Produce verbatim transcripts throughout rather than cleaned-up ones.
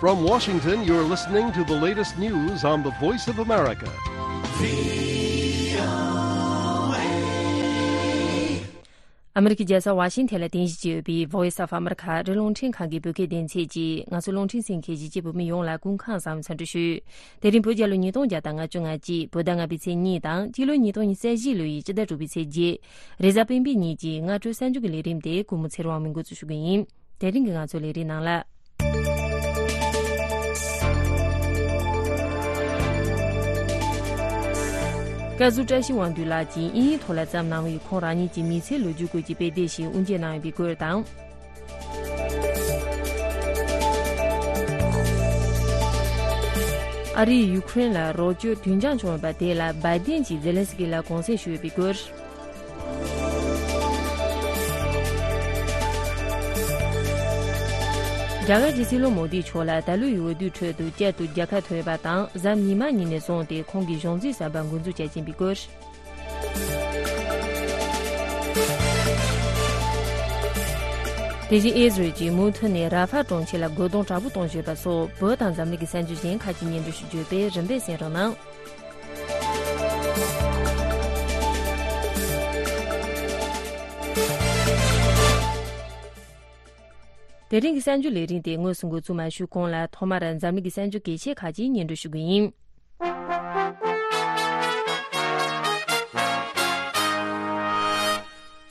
From Washington, you're listening to the latest news on the Voice of America. ཨ་མེ་རི་ཁའི་རྒྱལ་ས་ཝ་ཤིང་ཐན་ལ་རྟེན་གཞི་བྱས་ཡོད་པའི་Voice of America ཨ་རིའི་རླུང་འཕྲིན་ཁང་གི་བོད་སྐད་སྡེ་ཚན་གྱིས། ང་ཚོའི་རླུང་འཕྲིན་གསན་མཁན་གཞིས་བྱེས་བོད་མི་ཡོངས་ལ་སྐུ་ཁམས་བཟང་བའི་འཚམས་འདྲི་ཞུ། དེ་རིང་བོད་རྒྱལ་ལོ་ཉིས་སྟོང་བརྒྱ་དང་ང་བཅུ་ང་གཅིག་བོད་ཟླ་ལྔ་པའི་ཚེས་གཉིས་དང་སྤྱི་ལོ་ཉིས་སྟོང་ཉི་ཤུ་རྩ་བཞི་ལོའི་སྤྱི་ཟླ་དྲུག་པའི་ཚེས་བརྒྱད། རེས་གཟའ་སྤེན་པའི་ཉིན་གྱི་སྔ་དྲོའི་གསར་འགྱུར་གྱི་ལས་རིམ་དེ་ཀུན་མོ་ཚེ་རིང་དབང་མོས་འགོ་འཛུགས་ཞུ་གི་ཡིན། དེ་རིང་གི་ང་ཚོའི་ལས་རིམ་ནང་ལ། བཀའ་ཟུར་བཀྲ་ཤིས་དབང་འདུས་ལགས་ཀྱིས་དབྱིན་ཡིག་ཐོག་ལ་བརྩམས་གནང་བའི་ཁོང་རང་ཉིད་ཀྱི་མི་ཚེའི་ལོ་རྒྱུས་སྐོར་གྱི་དཔེ་དེབ་ཞིག་དབུ་འབྱེད་གནང་ཡོད་པའི་སྐོར་དང་། ཨ་རིས་ཡུ་ཁུ་རེན་ལ་རོགས་སྐྱོར་དུས་འགྱངས་བྱུང་ཡོད་པ་དེ་ལ་བའི་ཏིན་གྱིས་ཛེ་ལན་སི་ཀི་ལ་དགོངས་སེལ་ཞུས་ཡོད་པའི་སྐོར། རྒྱ་གར་གྱི་སྲིད་བློན་མོ་དི་མཆོག་ལ་ད་ལོའི་འོས་བསྡུའི་ཁྲོད་དུ་བསྐྱར་དུ་རྒྱལ་ཁ་ཐོབ་ཡོད་པ་དང་། གཟའ་ཉི་མ་ཉིན་ནས་བཟུང་སྟེ་ཁོང་གིས་གཞུང་འཛིན་གསར་པ་འགོ་འཛུགས་བྱེད་ཀྱིན་པའི་སྐོར། དེ་བཞིན་ཨི་ཟི་རལ་གྱིས་མུ་མཐུད་ནས་ར་ཧྥ་གྲོང་ཁྱེར་ལ་རྒོལ་རྡུང་དྲག་པོ་གཏོང་བཞིན་པ་སོགས་བོད་དང་འཛམ་གླིང་གི་གསར་འགྱུར་གཞན་ཁག་ཅིག་སྙན་སྒྲོན་ཞུ་རྒྱུ་དེ་རིམ་པས་གསན་རོགས་གནང་། དེ་རིང་གི་གསར་འགྱུར་ལས་རིམ་དེ་དངོས་སུ་འགོ་འཛུགས་མ་ཞུས་གོང་ལ་ཐོག་མར་འཛམ་གླིང་གི་གསར་འགྱུར་གལ་ཆེ་ཁག་ཅིག་སྙན་སྒྲོན་ཞུ་གི་ཡིན།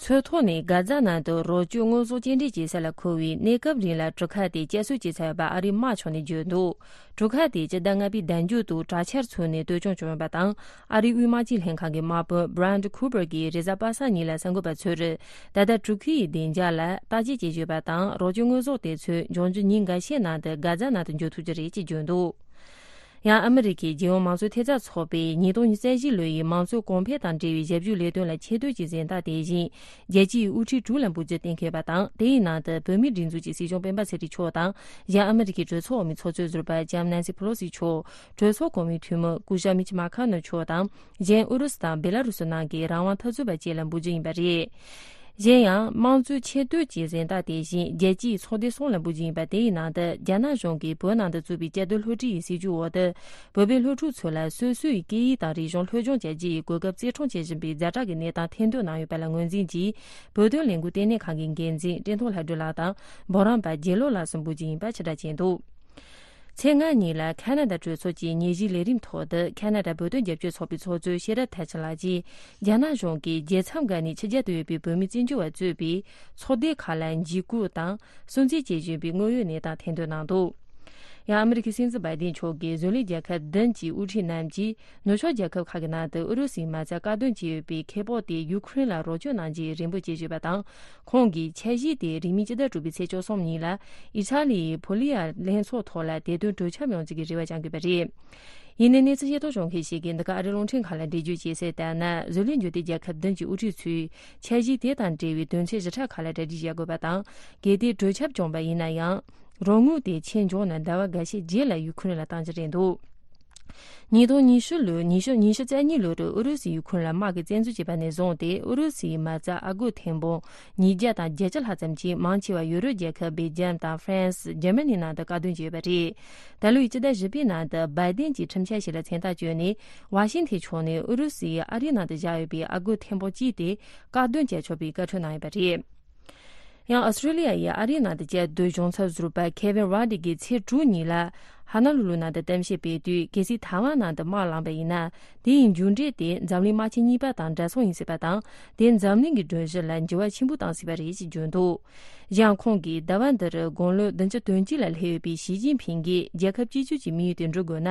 ཚོས་ཐོག་ནས་གྷ་ཛ་ནང་དུ་རོགས་སྐྱོར་དངོས་ཟོག་སྐྱེལ་འདྲེན་བྱེད་ས་ལ་འཁོལ་བའི་གནས་སྐབས་རིང་ལ་གྲུ་ཁ་དེ་བསྐྱར་གསོ་བྱེད་ཚར་ཡོད་པ་ཨ་རིའི་དམག་ཕྱོགས་ནས་བརྗོད་འདུག་གྲུ་ཁ་དེ་སྤྱི་ཟླ་ལྔ་པའི་ཟླ་མཇུག་ཏུ་དྲག་ཆར་ཚུགས་ནས་གཏོར་སྐྱོན་བྱུང་ཡོད་པ་དང་། ཨ་རིའི་དབུས་དམག་སྤྱི་ལྷན་ཁང་གི་དམག་དཔོན་Brad Cooper གྱིས་རེས་གཟའ་པ་སངས་ཉིན་ལ་གསར་འགོད་པ་ཚོར། ད་ལྟ་གྲུ་ཁའི་བདེ་འཇགས་ལ་བརྟག་དཔྱད་བྱེད་བཞིན་ཡོད་པ་དང་། རོགས་སྐྱོར་དངོས་ཟོག་དེ་ཚོ་འབྱུང་འགྱུར་ཉིན་འགའ་ཤས་ནང་དུ་གྷ་ཛ་ནང་དུ་འབྱོར་ཐུབ་ཀྱི་རེད་ཅེས་བརྗོད་འདུག་ཡང་ཨ་མི་རི་ཀའི་རྒྱལ་ཡོངས་མང་གཙོའི་ཐེབས་རྩ་ཚོགས་པས་ཉིས་སྟོང་ཉི་ཤུ་རྩ་བཞི་ལོའི་མང་གཙོའི་གོང་འཕེལ་དང་འབྲེལ་བའི་ཞབས་ཞུའི་ལས་དོན་ལ་ཆེ་བསྟོད་ཀྱི་གཟེངས་རྟགས་དེ་བཞིན་རྒྱལ་སྤྱིའི་དབུ་ཁྲིད་དྲུག་ལ་འབུལ་རྒྱུ་གཏན་འཁེལ་བ་དང་། དེའི་ནང་དུ་བོད་མིའི་སྒྲིག་འཛུགས་ཀྱི་སྲིད་སྐྱོང་སྤེན་པ་ཚེ་རིང་མཆོག་དང་། གཞན་ཨ་མི་རི་ཀའི་གྲོས་ཚོགས་འོག་མའི་ཚོགས་གཙོའི་ཟུར་པ་ལྕམ་ནན་སི་ཕེ་ལོ་སི་མཆོག་གྲོས་ཚོགས་གོང་མའི་འཐུས་མི་སྐུ་ཞབས་མིཆ་མ་ཁ་ནོ་མཆོག་དང་། གཞན་ཨུ་རུ་སུ་དང་བེ་ལ་རུ་སུ་ནང་གི་རང་དབང་འཐབ་རྩོད་པ་བཅས་ལ་འབུལ་རྒྱུ་ཡིན་པ་རེད། གཞན་ཡང་དམངས་གཙོའི་ཆེ་བསྟོད་ཀྱི་གཟེངས་རྟགས་དེ་བཞིན་རྒྱལ་སྤྱིའི་ཚོགས་སྡེ་གསུམ་ལ་འབུལ་རྒྱུ་ཡིན་པ། དེའི་ནང་དུ་རྒྱ་ནག་གཞུང་གིས་བོད་ནང་དུ་བཙུགས་པའི་བཅའ་སྡོད་སློབ་ཁྲིད་ཡི་སྲིད་ཇུས་འོག་ཏུ། བོད་པའི་སློབ་ཕྲུག་ཚོ་ལ་སོ་སོའི་སྐད་ཡིག་དང་རིག་གཞུང་སློབ་སྦྱོང་བྱ་རྒྱུ་ཡི་གོ་སྐབས་བརྩི་སྲུང་བྱེད་བཞིན་པའི་ཛ་དྲག་གི་གནས་སྟངས་ཐེར་འདོན་གནང་ཡོད་པ་ལ་ངོས་འཛིན་གྱིས། བོད་དོན་ལས་འགུལ་ལྟེ་གནས་ཁང་གི་འགན་འཛིན་བཀྲས་མཐོང་ལྷ་སྒྲོལ་ལགས་དང་འབུམ་རམས་པ་རྒྱལ་ལོ་ལགས་སུ་འབུལ་རྒྱུ་ཡིན་པ་ཕྱིར་བསྒྲགས་བྱས་འདུག་ཚེས་ལྔ་ཉིན་ལ་ཁ་ན་ཌ་གྲོས་ཚོགས་ཀྱི་ཉིན་བཞིའི་ལས་རིམ་ཐོག་ཏུ། ཁ་ན་ཌ་བོད་དོན་རྒྱབ་སྐྱོར་ཚོགས་པའི་ཚོགས་གཙོ་ཤེས་རབ་མཐར་ཕྱིན་ལགས་ཀྱིས། རྒྱ་ནག་གཞུང་གིས་རྒྱལ་མཚམས་བརྒལ་ནས་ཕྱི་རྒྱལ་དུ་ཡོད་པའི་བོད་མི་བཙན་བྱོལ་བ་གཙོས་པའི་ཚོགས་སྡེ་ཁག་ལ་འཇིགས་སྐུལ་དང་སུན་གཙེར་བྱེད་བཞིན་པའི་དངོས་ཡོད་གནས་སྟངས་ཐེར་འདོན་གནང་འདུག་ཡང་ཨ་མི་རི་ཀའི་སྲིད་འཛིན་བྷའི་ཏིན་མཆོག་གིས་བཟོ་ལས་རྒྱལ་ཁབ་བདུན་གྱི་དབུ་ཁྲིད་རྣམས་ཀྱིས། ནུབ་ཕྱོགས་རྒྱལ་ཁབ་ཁག་གི་ནང་དུ་ཨུ་རུ་སུའི་མ་རྩ་བཀག་སྡོམ་བྱས་ཡོད་པའི་ཁེ་སྤོགས་དེ་ཡུ་ཁུ་རེན་ལ་རོགས་སྐྱོར་གནང་རྒྱུའི་རེ་འབོད་བྱེད་བཞིན་པ་དང་། ཁོང་གིས་འཆར་གཞི་དེ་རིང་མིན་སྤྱི་ཟླ་དྲུག་པའི་ཚེས་བཅུ་གསུམ་ཉིན་ལ་ཨི་ཊ་ལི་ཡི་ཕོ་ལི་ཡ་ལྷན་ཚོགས་ཐོག་ལ་དེ་དོན་གྲོས་འཆམ་ཡོང་རྒྱུ་གི་རེ་བ་བཅངས་ཡོད་པ་རེད། ཡིན་ནའི་གནས་ཚུལ་ཤེས་རྟོགས་བྱུང་མཁན་ཞིག་གིས་འདི་ག་ཨ་རིའི་རླུང་འཕྲིན་ཁང་ལ་འགྲེལ་བརྗོད་བྱས་གསལ་ལྟར་ན། བཟོ་ལས་འབྱོར་ལྡན་རྒྱལ་ཁབ་བདུན་གྱི་དབུ་ཁྲིད་ཚོས་འཆར་གཞི་དེ་དང་འབྲེལ་བའི་དོན་ཚན་བཞི་ཕྲག་ཁག་ལ་གྲ་སྒྲིག་བྱ་དགོས་པ་དང་། གལ་ཏེ་གྲོས་འཆམ་བྱུང་བ་ཡིན་ན་ཡང་། རོགས་དངུལ་དེ་ཕྱིར་འབྱོར་ནས་ཟླ་བ་འགའ་ཤས་རྗེས་ལ་ཡུ་ཁུ་རེན་ལ་གཏང་རྒྱུ་རེད་འདུག་ཉིས་སྟོང་ཉི་ཤུ་ལོའི་ཉི་ཤུ་ཉི་ཤུ་རྩ་གཉིས་ལོར་ཨུ་རུ་སུས་ཡུ་ཁུ་རེན་ལ་དམག་གིས་བཙན་འཛུལ་བྱས་པ་ནས་བཟུང་སྟེ། ཨུ་རུ་སུའི་མ་རྩ་ཨ་སྒོར་ཐེར་འབུམ་ཉིས་བརྒྱ་དང་བརྒྱད་ཅུ་ལྷག་ཙམ་གྱིས་མང་ཆེ་བ་ཡུ་རོབ་རྒྱལ་ཁབ་སྦེལ་ཇམ་དང་ཧྥ་རན་སི། འཇར་མ་ནི་ནང་དུ་བཀག་སྡོམ་བྱས་ཡོད་པ་རེད། ད་ལོའི་སྤྱི་ཟླ་བཞི་པའི་ནང་དུ་བྷའི་ཏིན་གྱིས་ཁྲིམས་འཆར་ཞིག་ལ་མཚན་རྟགས་བཅོལ་ནས། ཝ་ཤིང་ཐན་ཕྱོགས་ནས་ཨུ་རུ་སུ་ཡིས་ཨ་རིའི་ནང་དུ་བཞག་ཡོད་པའི་ཨ་སྒོར་ཐེར་འབུམ་གཅིག་དེ་བཀག་སྡོམ་བྱས་ཆོག་པའི་བཀའ་འཁྲོལ་གནང་ཡོད་པ་རེད། ཡང་ཨོ་སི་ཀྲོ་ལི་ཡ་ཡི་ཨ་རིའི་ནང་དུ་བཅའ་སྡོད་གཞུང་ཚབ་ཟུར་པ་ཁེ་ཝིན་རོ་ཌི་གིས་ཚེས་དྲུག་ཉིན་ལ་ཧ་ན་ལུ་ལུ་ནང་དུ་གཏམ་བཤད་སྤེལ་དུས། གལ་སྲིད་ཐའེ་ཝན་ནང་དུ་དམག་ལངས་པ་ཡིན་ན། དེ་ཡི་མཇུག་འབྲས་དེ་འཛམ་གླིང་དམག་ཆེན་གཉིས་པ་དང་འདྲ་མཚུངས་ཡིན་སྲིད་པ་དང་། དེས་འཛམ་གླིང་གི་སྒྲོམ་གཞི་ལ་འགྱུར་བ་ཆེན་པོ་བཏང་སྲིད་པ་རེད་ཅེས་བརྗོད་འདུག་གཞན་ཁོང་གིས་ཟླ་བ་འདིར་དགུང་ལོ་བདུན་ཅུ་དོན་གཅིག་ལ་སླེབས་ཡོད་པའི་ཞི་ཅིན་ཕིང་གིས་རྒྱལ་ཁབ་གཅིག་གྱུར་གྱི་དམིགས་ཡུལ་དེ་འགྲུབ་དགོས་ན།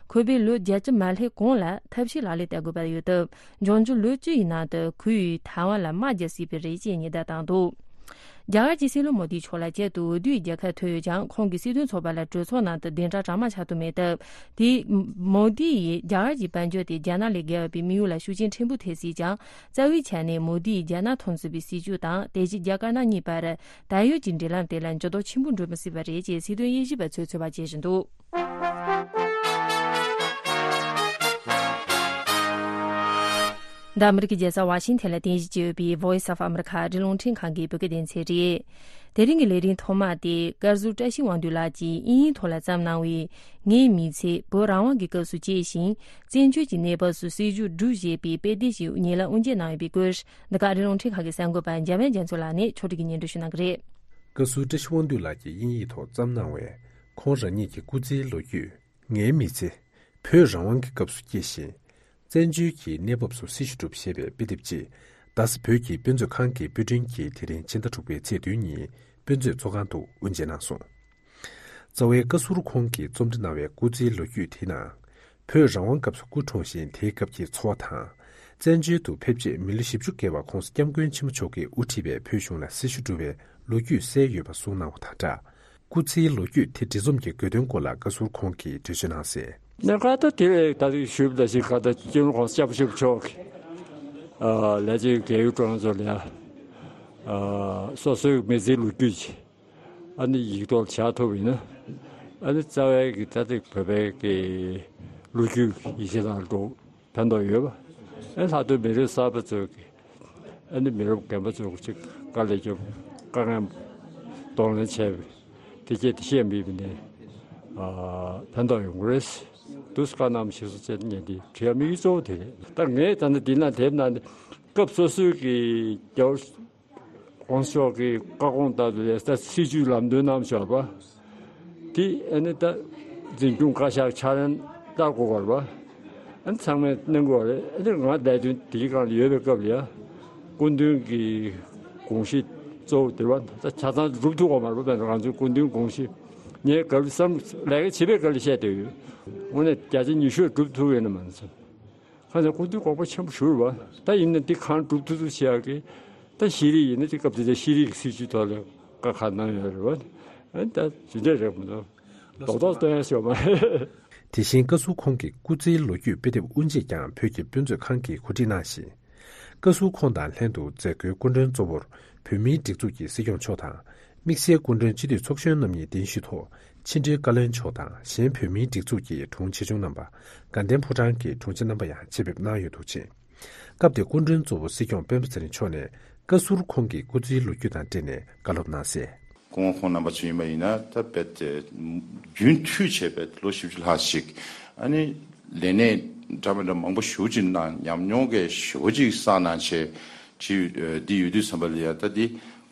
ཁོ་པས་ལོ་བརྒྱད་ཅུ་མ་སླེབས་གོང་ལ་ཐབས་ཤེས་ལག་ལེན་བསྟར་དགོས་པ་ཡོད་སྟབས། འབྱུང་འགྱུར་ལོ་བཅུ་ཡི་ནང་དུ་ཁོ་ཡིས་ཐའེ་ཝན་ལ་དམག་རྒྱག་སྲིད་པ་རེད་ཅེས་ཉེན་བརྡ་བཏང་འདུག་རྒྱ་གར་གྱི་སྲིད་བློན་མོ་དི་མཆོག་ལ་བསྐྱར་དུ་འོས་བསྡུའི་རྒྱལ་ཁ་ཐོབ་ཡོད་ཀྱང་། ཁོང་གིས་སྲིད་དོན་ཚོགས་པ་ལ་གྲོས་ཚོགས་ནང་དུ་གདན་འདྲེན་གྲངས་མང་ཆགས་ཐུབ་མེད་སྟབས། དེས་མོ་དི་ཡིས་རྒྱ་གར་གྱི་དཔལ་འབྱོར་དེ་རྒྱ་ནག་ལས་བརྒལ་བའི་དམིགས་ཡུལ་ལ་ཤུགས་རྐྱེན་ཕྲན་བུ་ཐེབས་སྲིད་ཀྱང་། རྩ་བའི་ཆ་ནས་མོ་དི་ཡིས་རྒྱ་ནག་མཐོང་ཚུལ་བའི་སྲིད་བྱུས་དང་། དེ་བཞིན་རྒྱ་དཀར་ནག་གཉིས་བར་ད་ཡོད་ཀྱི་འབྲེལ་ལམ་དེ་ལ་འགྱུར་ལྡོག་ཆེན་པོ་འགྲོ་མི་སྲིད་པ་རེད་ཅེས་སྲིད་དོན་དབྱེ་ཞིབ་པ་ཚོས་ཚོད་དཔག་བྱེད་བཞིན་འདུག་འདི་ཨ་མི་རི་ཀའི་རྒྱལ་ས་ཝ་ཤིང་ཐན་ལ་རྟེན་གཞི་བྱས་ཡོད་པའི་Voice of America ཨ་རིའི་རླུང་འཕྲིན་ཁང་གི་བོད་སྐད་སྡེ་ཚན་རེད། དེ་རིང་གི་ལས་རིམ་ཐོག་མ་དེ་བཀའ་ཟུར་བཀྲ་ཤིས་དབང་འདུས་ལགས་ཀྱིས་དབྱིན་ཡིག་ཐོག་ལ་བརྩམས་གནང་བའི་ངའི་མི་ཚེ་བོད་རང་དབང་གི་སྐབས་སུ་སྐྱེས་ཤིང་། བཙན་བྱོལ་གྱི་གནས་བབ་སུ་སྲིད་བྱུས་བསྒྲུབས་ཞེས་པའི་དཔེ་དེབ་ཞིག་ཉེ་ལམ་དབུ་འབྱེད་གནང་ཡོད་པའི་སྐོར། འདི་ག་ཨ་རིའི་རླུང་འཕྲིན་ཁང་གི་གསར་འགོད་པ་འཇམ་དབྱངས་རྒྱ་མཚོ་ལགས་ནས་ཕྱོགས་སྒྲིག་གིས་སྙན་སྒྲོན་ཞུ་གནང་གི་རེད། བཀའ་ཟུར་བཀྲ་ཤིས་དབང་འདུས་ལགས་ཀྱིས་དབྱིན་ཡིག་ཐོག་བརྩམས་གནང་བའི་ཁོང་རང་ཉིད་ཀྱི་སྐུ་ཚེའི་ལོ་རྒྱུས། ངའི་མི་ཚེ། བོད་རང་དབང་གི་སྐབས་སུ་སྐྱེས་ཤིང་། བཙན་བྱོལ་གྱི་གནས་བབ་སུ་སྲི་ཞུ་གྲུབ་ཞེས་པའི་དཔེ་དེབ་ཅིག་རྡ་ས་བོད་ཀྱི་དཔེ་མཛོད་ཁང་གི་དཔེ་སྐྲུན་གྱིས་དེ་རིང་ཕྱི་ཟླ་དྲུག་པའི་ཚེས་བདུན་ཉིན་དཔེ་མཛོད་ཚོགས་ཁང་དུ་དབུ་འབྱེད་གནང་སོང་། རྩ་བའི་བཀའ་ཟུར་ཁོང་གིས་རྩོམ་སྒྲིག་གནང་བའི་སྐུ་ཚེའི་ལོ་རྒྱུས་དེའི་ནང་། བོད་རང་དབང་སྐབས་སུ་སྐུ་འཁྲུངས་ཤིང་དེའི་སྐབས་ཀྱི་འཚོ་བ་དང་། བཙན་བྱོལ་དུ་ཕེབས་རྗེས་མི་ལོ་བཞི་བཅུ་བརྒལ་བ་༸གོང་ས་༸སྐྱབས་མགོན་ཆེན་པོ་མཆོག་གིས་དབུ་ཁྲིད་པའི་བོད་གཞུང་ལ་སྲི་ཞུ་བསྒྲུབས་པའི་ལོ་རྒྱུས་གསལ་ཡོད་པ་གསུངས་གནང་བ་དང་སྦྲགས། སྐུ་ཚེའི་ལོ་རྒྱུས་དེ་འབྲི་རྩོམ་གྱི་དགོས་དོན་སྐོར་ལ་བཀའ་ཟུར་ཁོང་གིས་འགྲེལ་བརྗོད་གནང་གསལ། ནས་ཁ་ད་དེ་ལས་ད་རེས་ཞུས་པ་ཞིག་ཁ་ད་སྤྱི་ནོར་༸གོང་ས་༸སྐྱབས་མགོན་ཆེན་པོ་མཆོག་གིས་ཨ་ལས་བྱེད་རྒས་ཡོལ་གྲོང་ཚོ་ལ་ཡ་ཨ་སོ་སོའི་མི་ཚེའི་ལོ་རྒྱུས་ཅིག་ཨ་ནི་ཡིག་ཐོག་བཞག་ཐུབ་ཡིན་ན། ཨ་ནི་རྩ་བའི་གི་ད་ལྟ་བོད་པའི་གི་ལོ་རྒྱུས་ཡིག་ཆ་དང་འགྲོ་ཕན་ཐོགས་ཡོད་པ། ཨ་ལྷག་ཏུ་མི་རབས་གསར་པ་ཚོས་གི་ཨ་ནི་མི་རབས་རྒན་པ་ཚོ་གཅིག་དཀའ་ལས་རྒྱབ་དཀའ་ངལ་གདོང་ལེན་བྱས་པའི་དེ་སྐད་དེ་བཤད་མི་བི་ནས་ཨ་ཕན་ཐོགས་ཡོང་གི་རེད། དུས་བཀའ་གནང་ཞིག་སོ་ཅེས་ཉན་དེ་བྲིས་ཡ་དམིགས་ཡུལ་གཙོ་བོ་དེ་རེད། ད་ངས་ད་ནི་འདི་ན་དེབ་ན་ནི་སྐབས་སོ་སོའི་གི་རྒྱལ་བ་༸གོང་ས་མཆོག་གི་བཀའ་དགོངས་ལྟར་དུ་ལས་ད་སྲིད་བྱུས་ལམ་སྟོན་གནང་བཞག་པ། དེ་ཨ་ནི་ད་འཛིན་སྐྱོང་བཀའ་ཤག་ཕྱག་ལེན་བསྟར་དགོས་པ་རེད་པ། ཨ་ནི་ཚང་མས་གནང་དགོས་པ་རེད། ཨ་ནི་ང་ལས་དོན་དེའི་སྒང་ལ་ཡོད་པའི་སྐབས་ལ་ཡ། སྐུ་མདུན་གྱི་དགོངས་གཞི་གཙོ་བོ་དེ་བ་ད་ཆ་ཚང་སྒྲུབ་ཐུབ་དགོས་མ་རེད་པ། ད་ང་ཚོའི་སྐུ་མདུན་དགོངས་གཞི་ངས་སྐབས་བསམ་ལས་ཀ་བྱེད་པའི་སྐབས་ལ་བཤད་བསྡད་ཡོད། དངོས་གནས་བརྒྱ་ཆ་ཉི་ཤུ་སྒྲུབ་ཐུབ་ཡོད་ན་མ་ནི་ཚོ། ཁ་ཚ་སྐུ་མདུན་དགོངས་པ་ཆེན་པོ་ཞུ་རེད་བ། ད་ཡིན་ན་འདི་གང་སྒྲུབ་ཐུབ་ཐུབ་བྱེད་ཡག་གི། ད་ཤེས་རིག་ཡིན་ན་དེ་སྐབས་དེ་ཚོ་ཤེས་རིག་གི་སྲིད་བྱུས་ཐོག་ལ་བཀའ་ཁག་གནང་ཡོད་རེད་བ། ཨ་ད་ཇི་འདྲ་རེད་མི་འདུག་རྡོག་རྡོག་སྟོན་ཡ་ཞོག་མ་རེད། དེ་བཞིན་བཀའ་ཟུར་ཁོང་གི་སྐུ་ཚེའི་ལོ་རྒྱུས་དཔེ་དེབ་དབུ་འབྱེད་ཀྱང་བོད་ཀྱི་དཔེ་མཛོད་ཁང་གིས་གོ་སྒྲིག་གནང་ཞིང་། བཀའ་ཟུར་ཁོང་དང་ལྷན་དུ་མཛད་སྒོའི་སྐུ་མགྲོན་གཙོ་བོར་བོད་མིའི་སྒྲིག་འཛུགས་ཀྱི་སྲིད་སྐྱོང་མཆོག་དང་། དམིགས་བསལ་སྐུ་མགྲོན་སྤྱི་འཐུས་ཚོགས་གཞོན་རྣམ་གཉིས་གདན་ཞུས་ཐོག་ཕྱི་དྲིལ་བཀའ་བློན་མཆོག་དང་གཞན་བོད་མིའི་སྒྲིག་འཛུགས་ཀྱི་དྲུང་ཆེ་ཆུང་རྣམ་པ། དགའ་ལྡན་ཕོ་བྲང་གི་དྲུང་ཆེ་རྣམ་པ་ཡང་ཆེད་ཕེབས་གནང་ཡོད་འདུག་ཅིང་། སྐབས་དེར་སྐུ་མགྲོན་གཙོ་བོ་སྲིད་སྐྱོང་སྤེན་པ་ཚེ་རིང་མཆོག་ནས་བཀའ་ཟུར་ཁོང་གི་སྐུ་ཚེའི་ལོ་རྒྱུས་དང་འབྲེལ་ནས་བཀའ་སློབ་གནང་གསལ། སྐུ་ངོ་ཁོང་རྣམ་པ་ཚོ་ཡིན་པ་ཡིན་ན་ད་རྦད་དེ་རྒྱུན་མཐུད་བྱས་རྦད་ལོ་བཞི་བཅུ་ལྷག་ཅིག་ཨ་ནི་ལས་གནས་འདྲ་མི་འདྲ་མང་པོ་ཞེ་པོ་ཅིག་གནང་། ཉམས་མྱོང་གི་ཞེ་པོ་ཅིག་བསགས་གནང་བྱས་ཅིག་འདི་ཡོད་དུས་ཙམ་པ་ལ་ཡ་ད་འདི་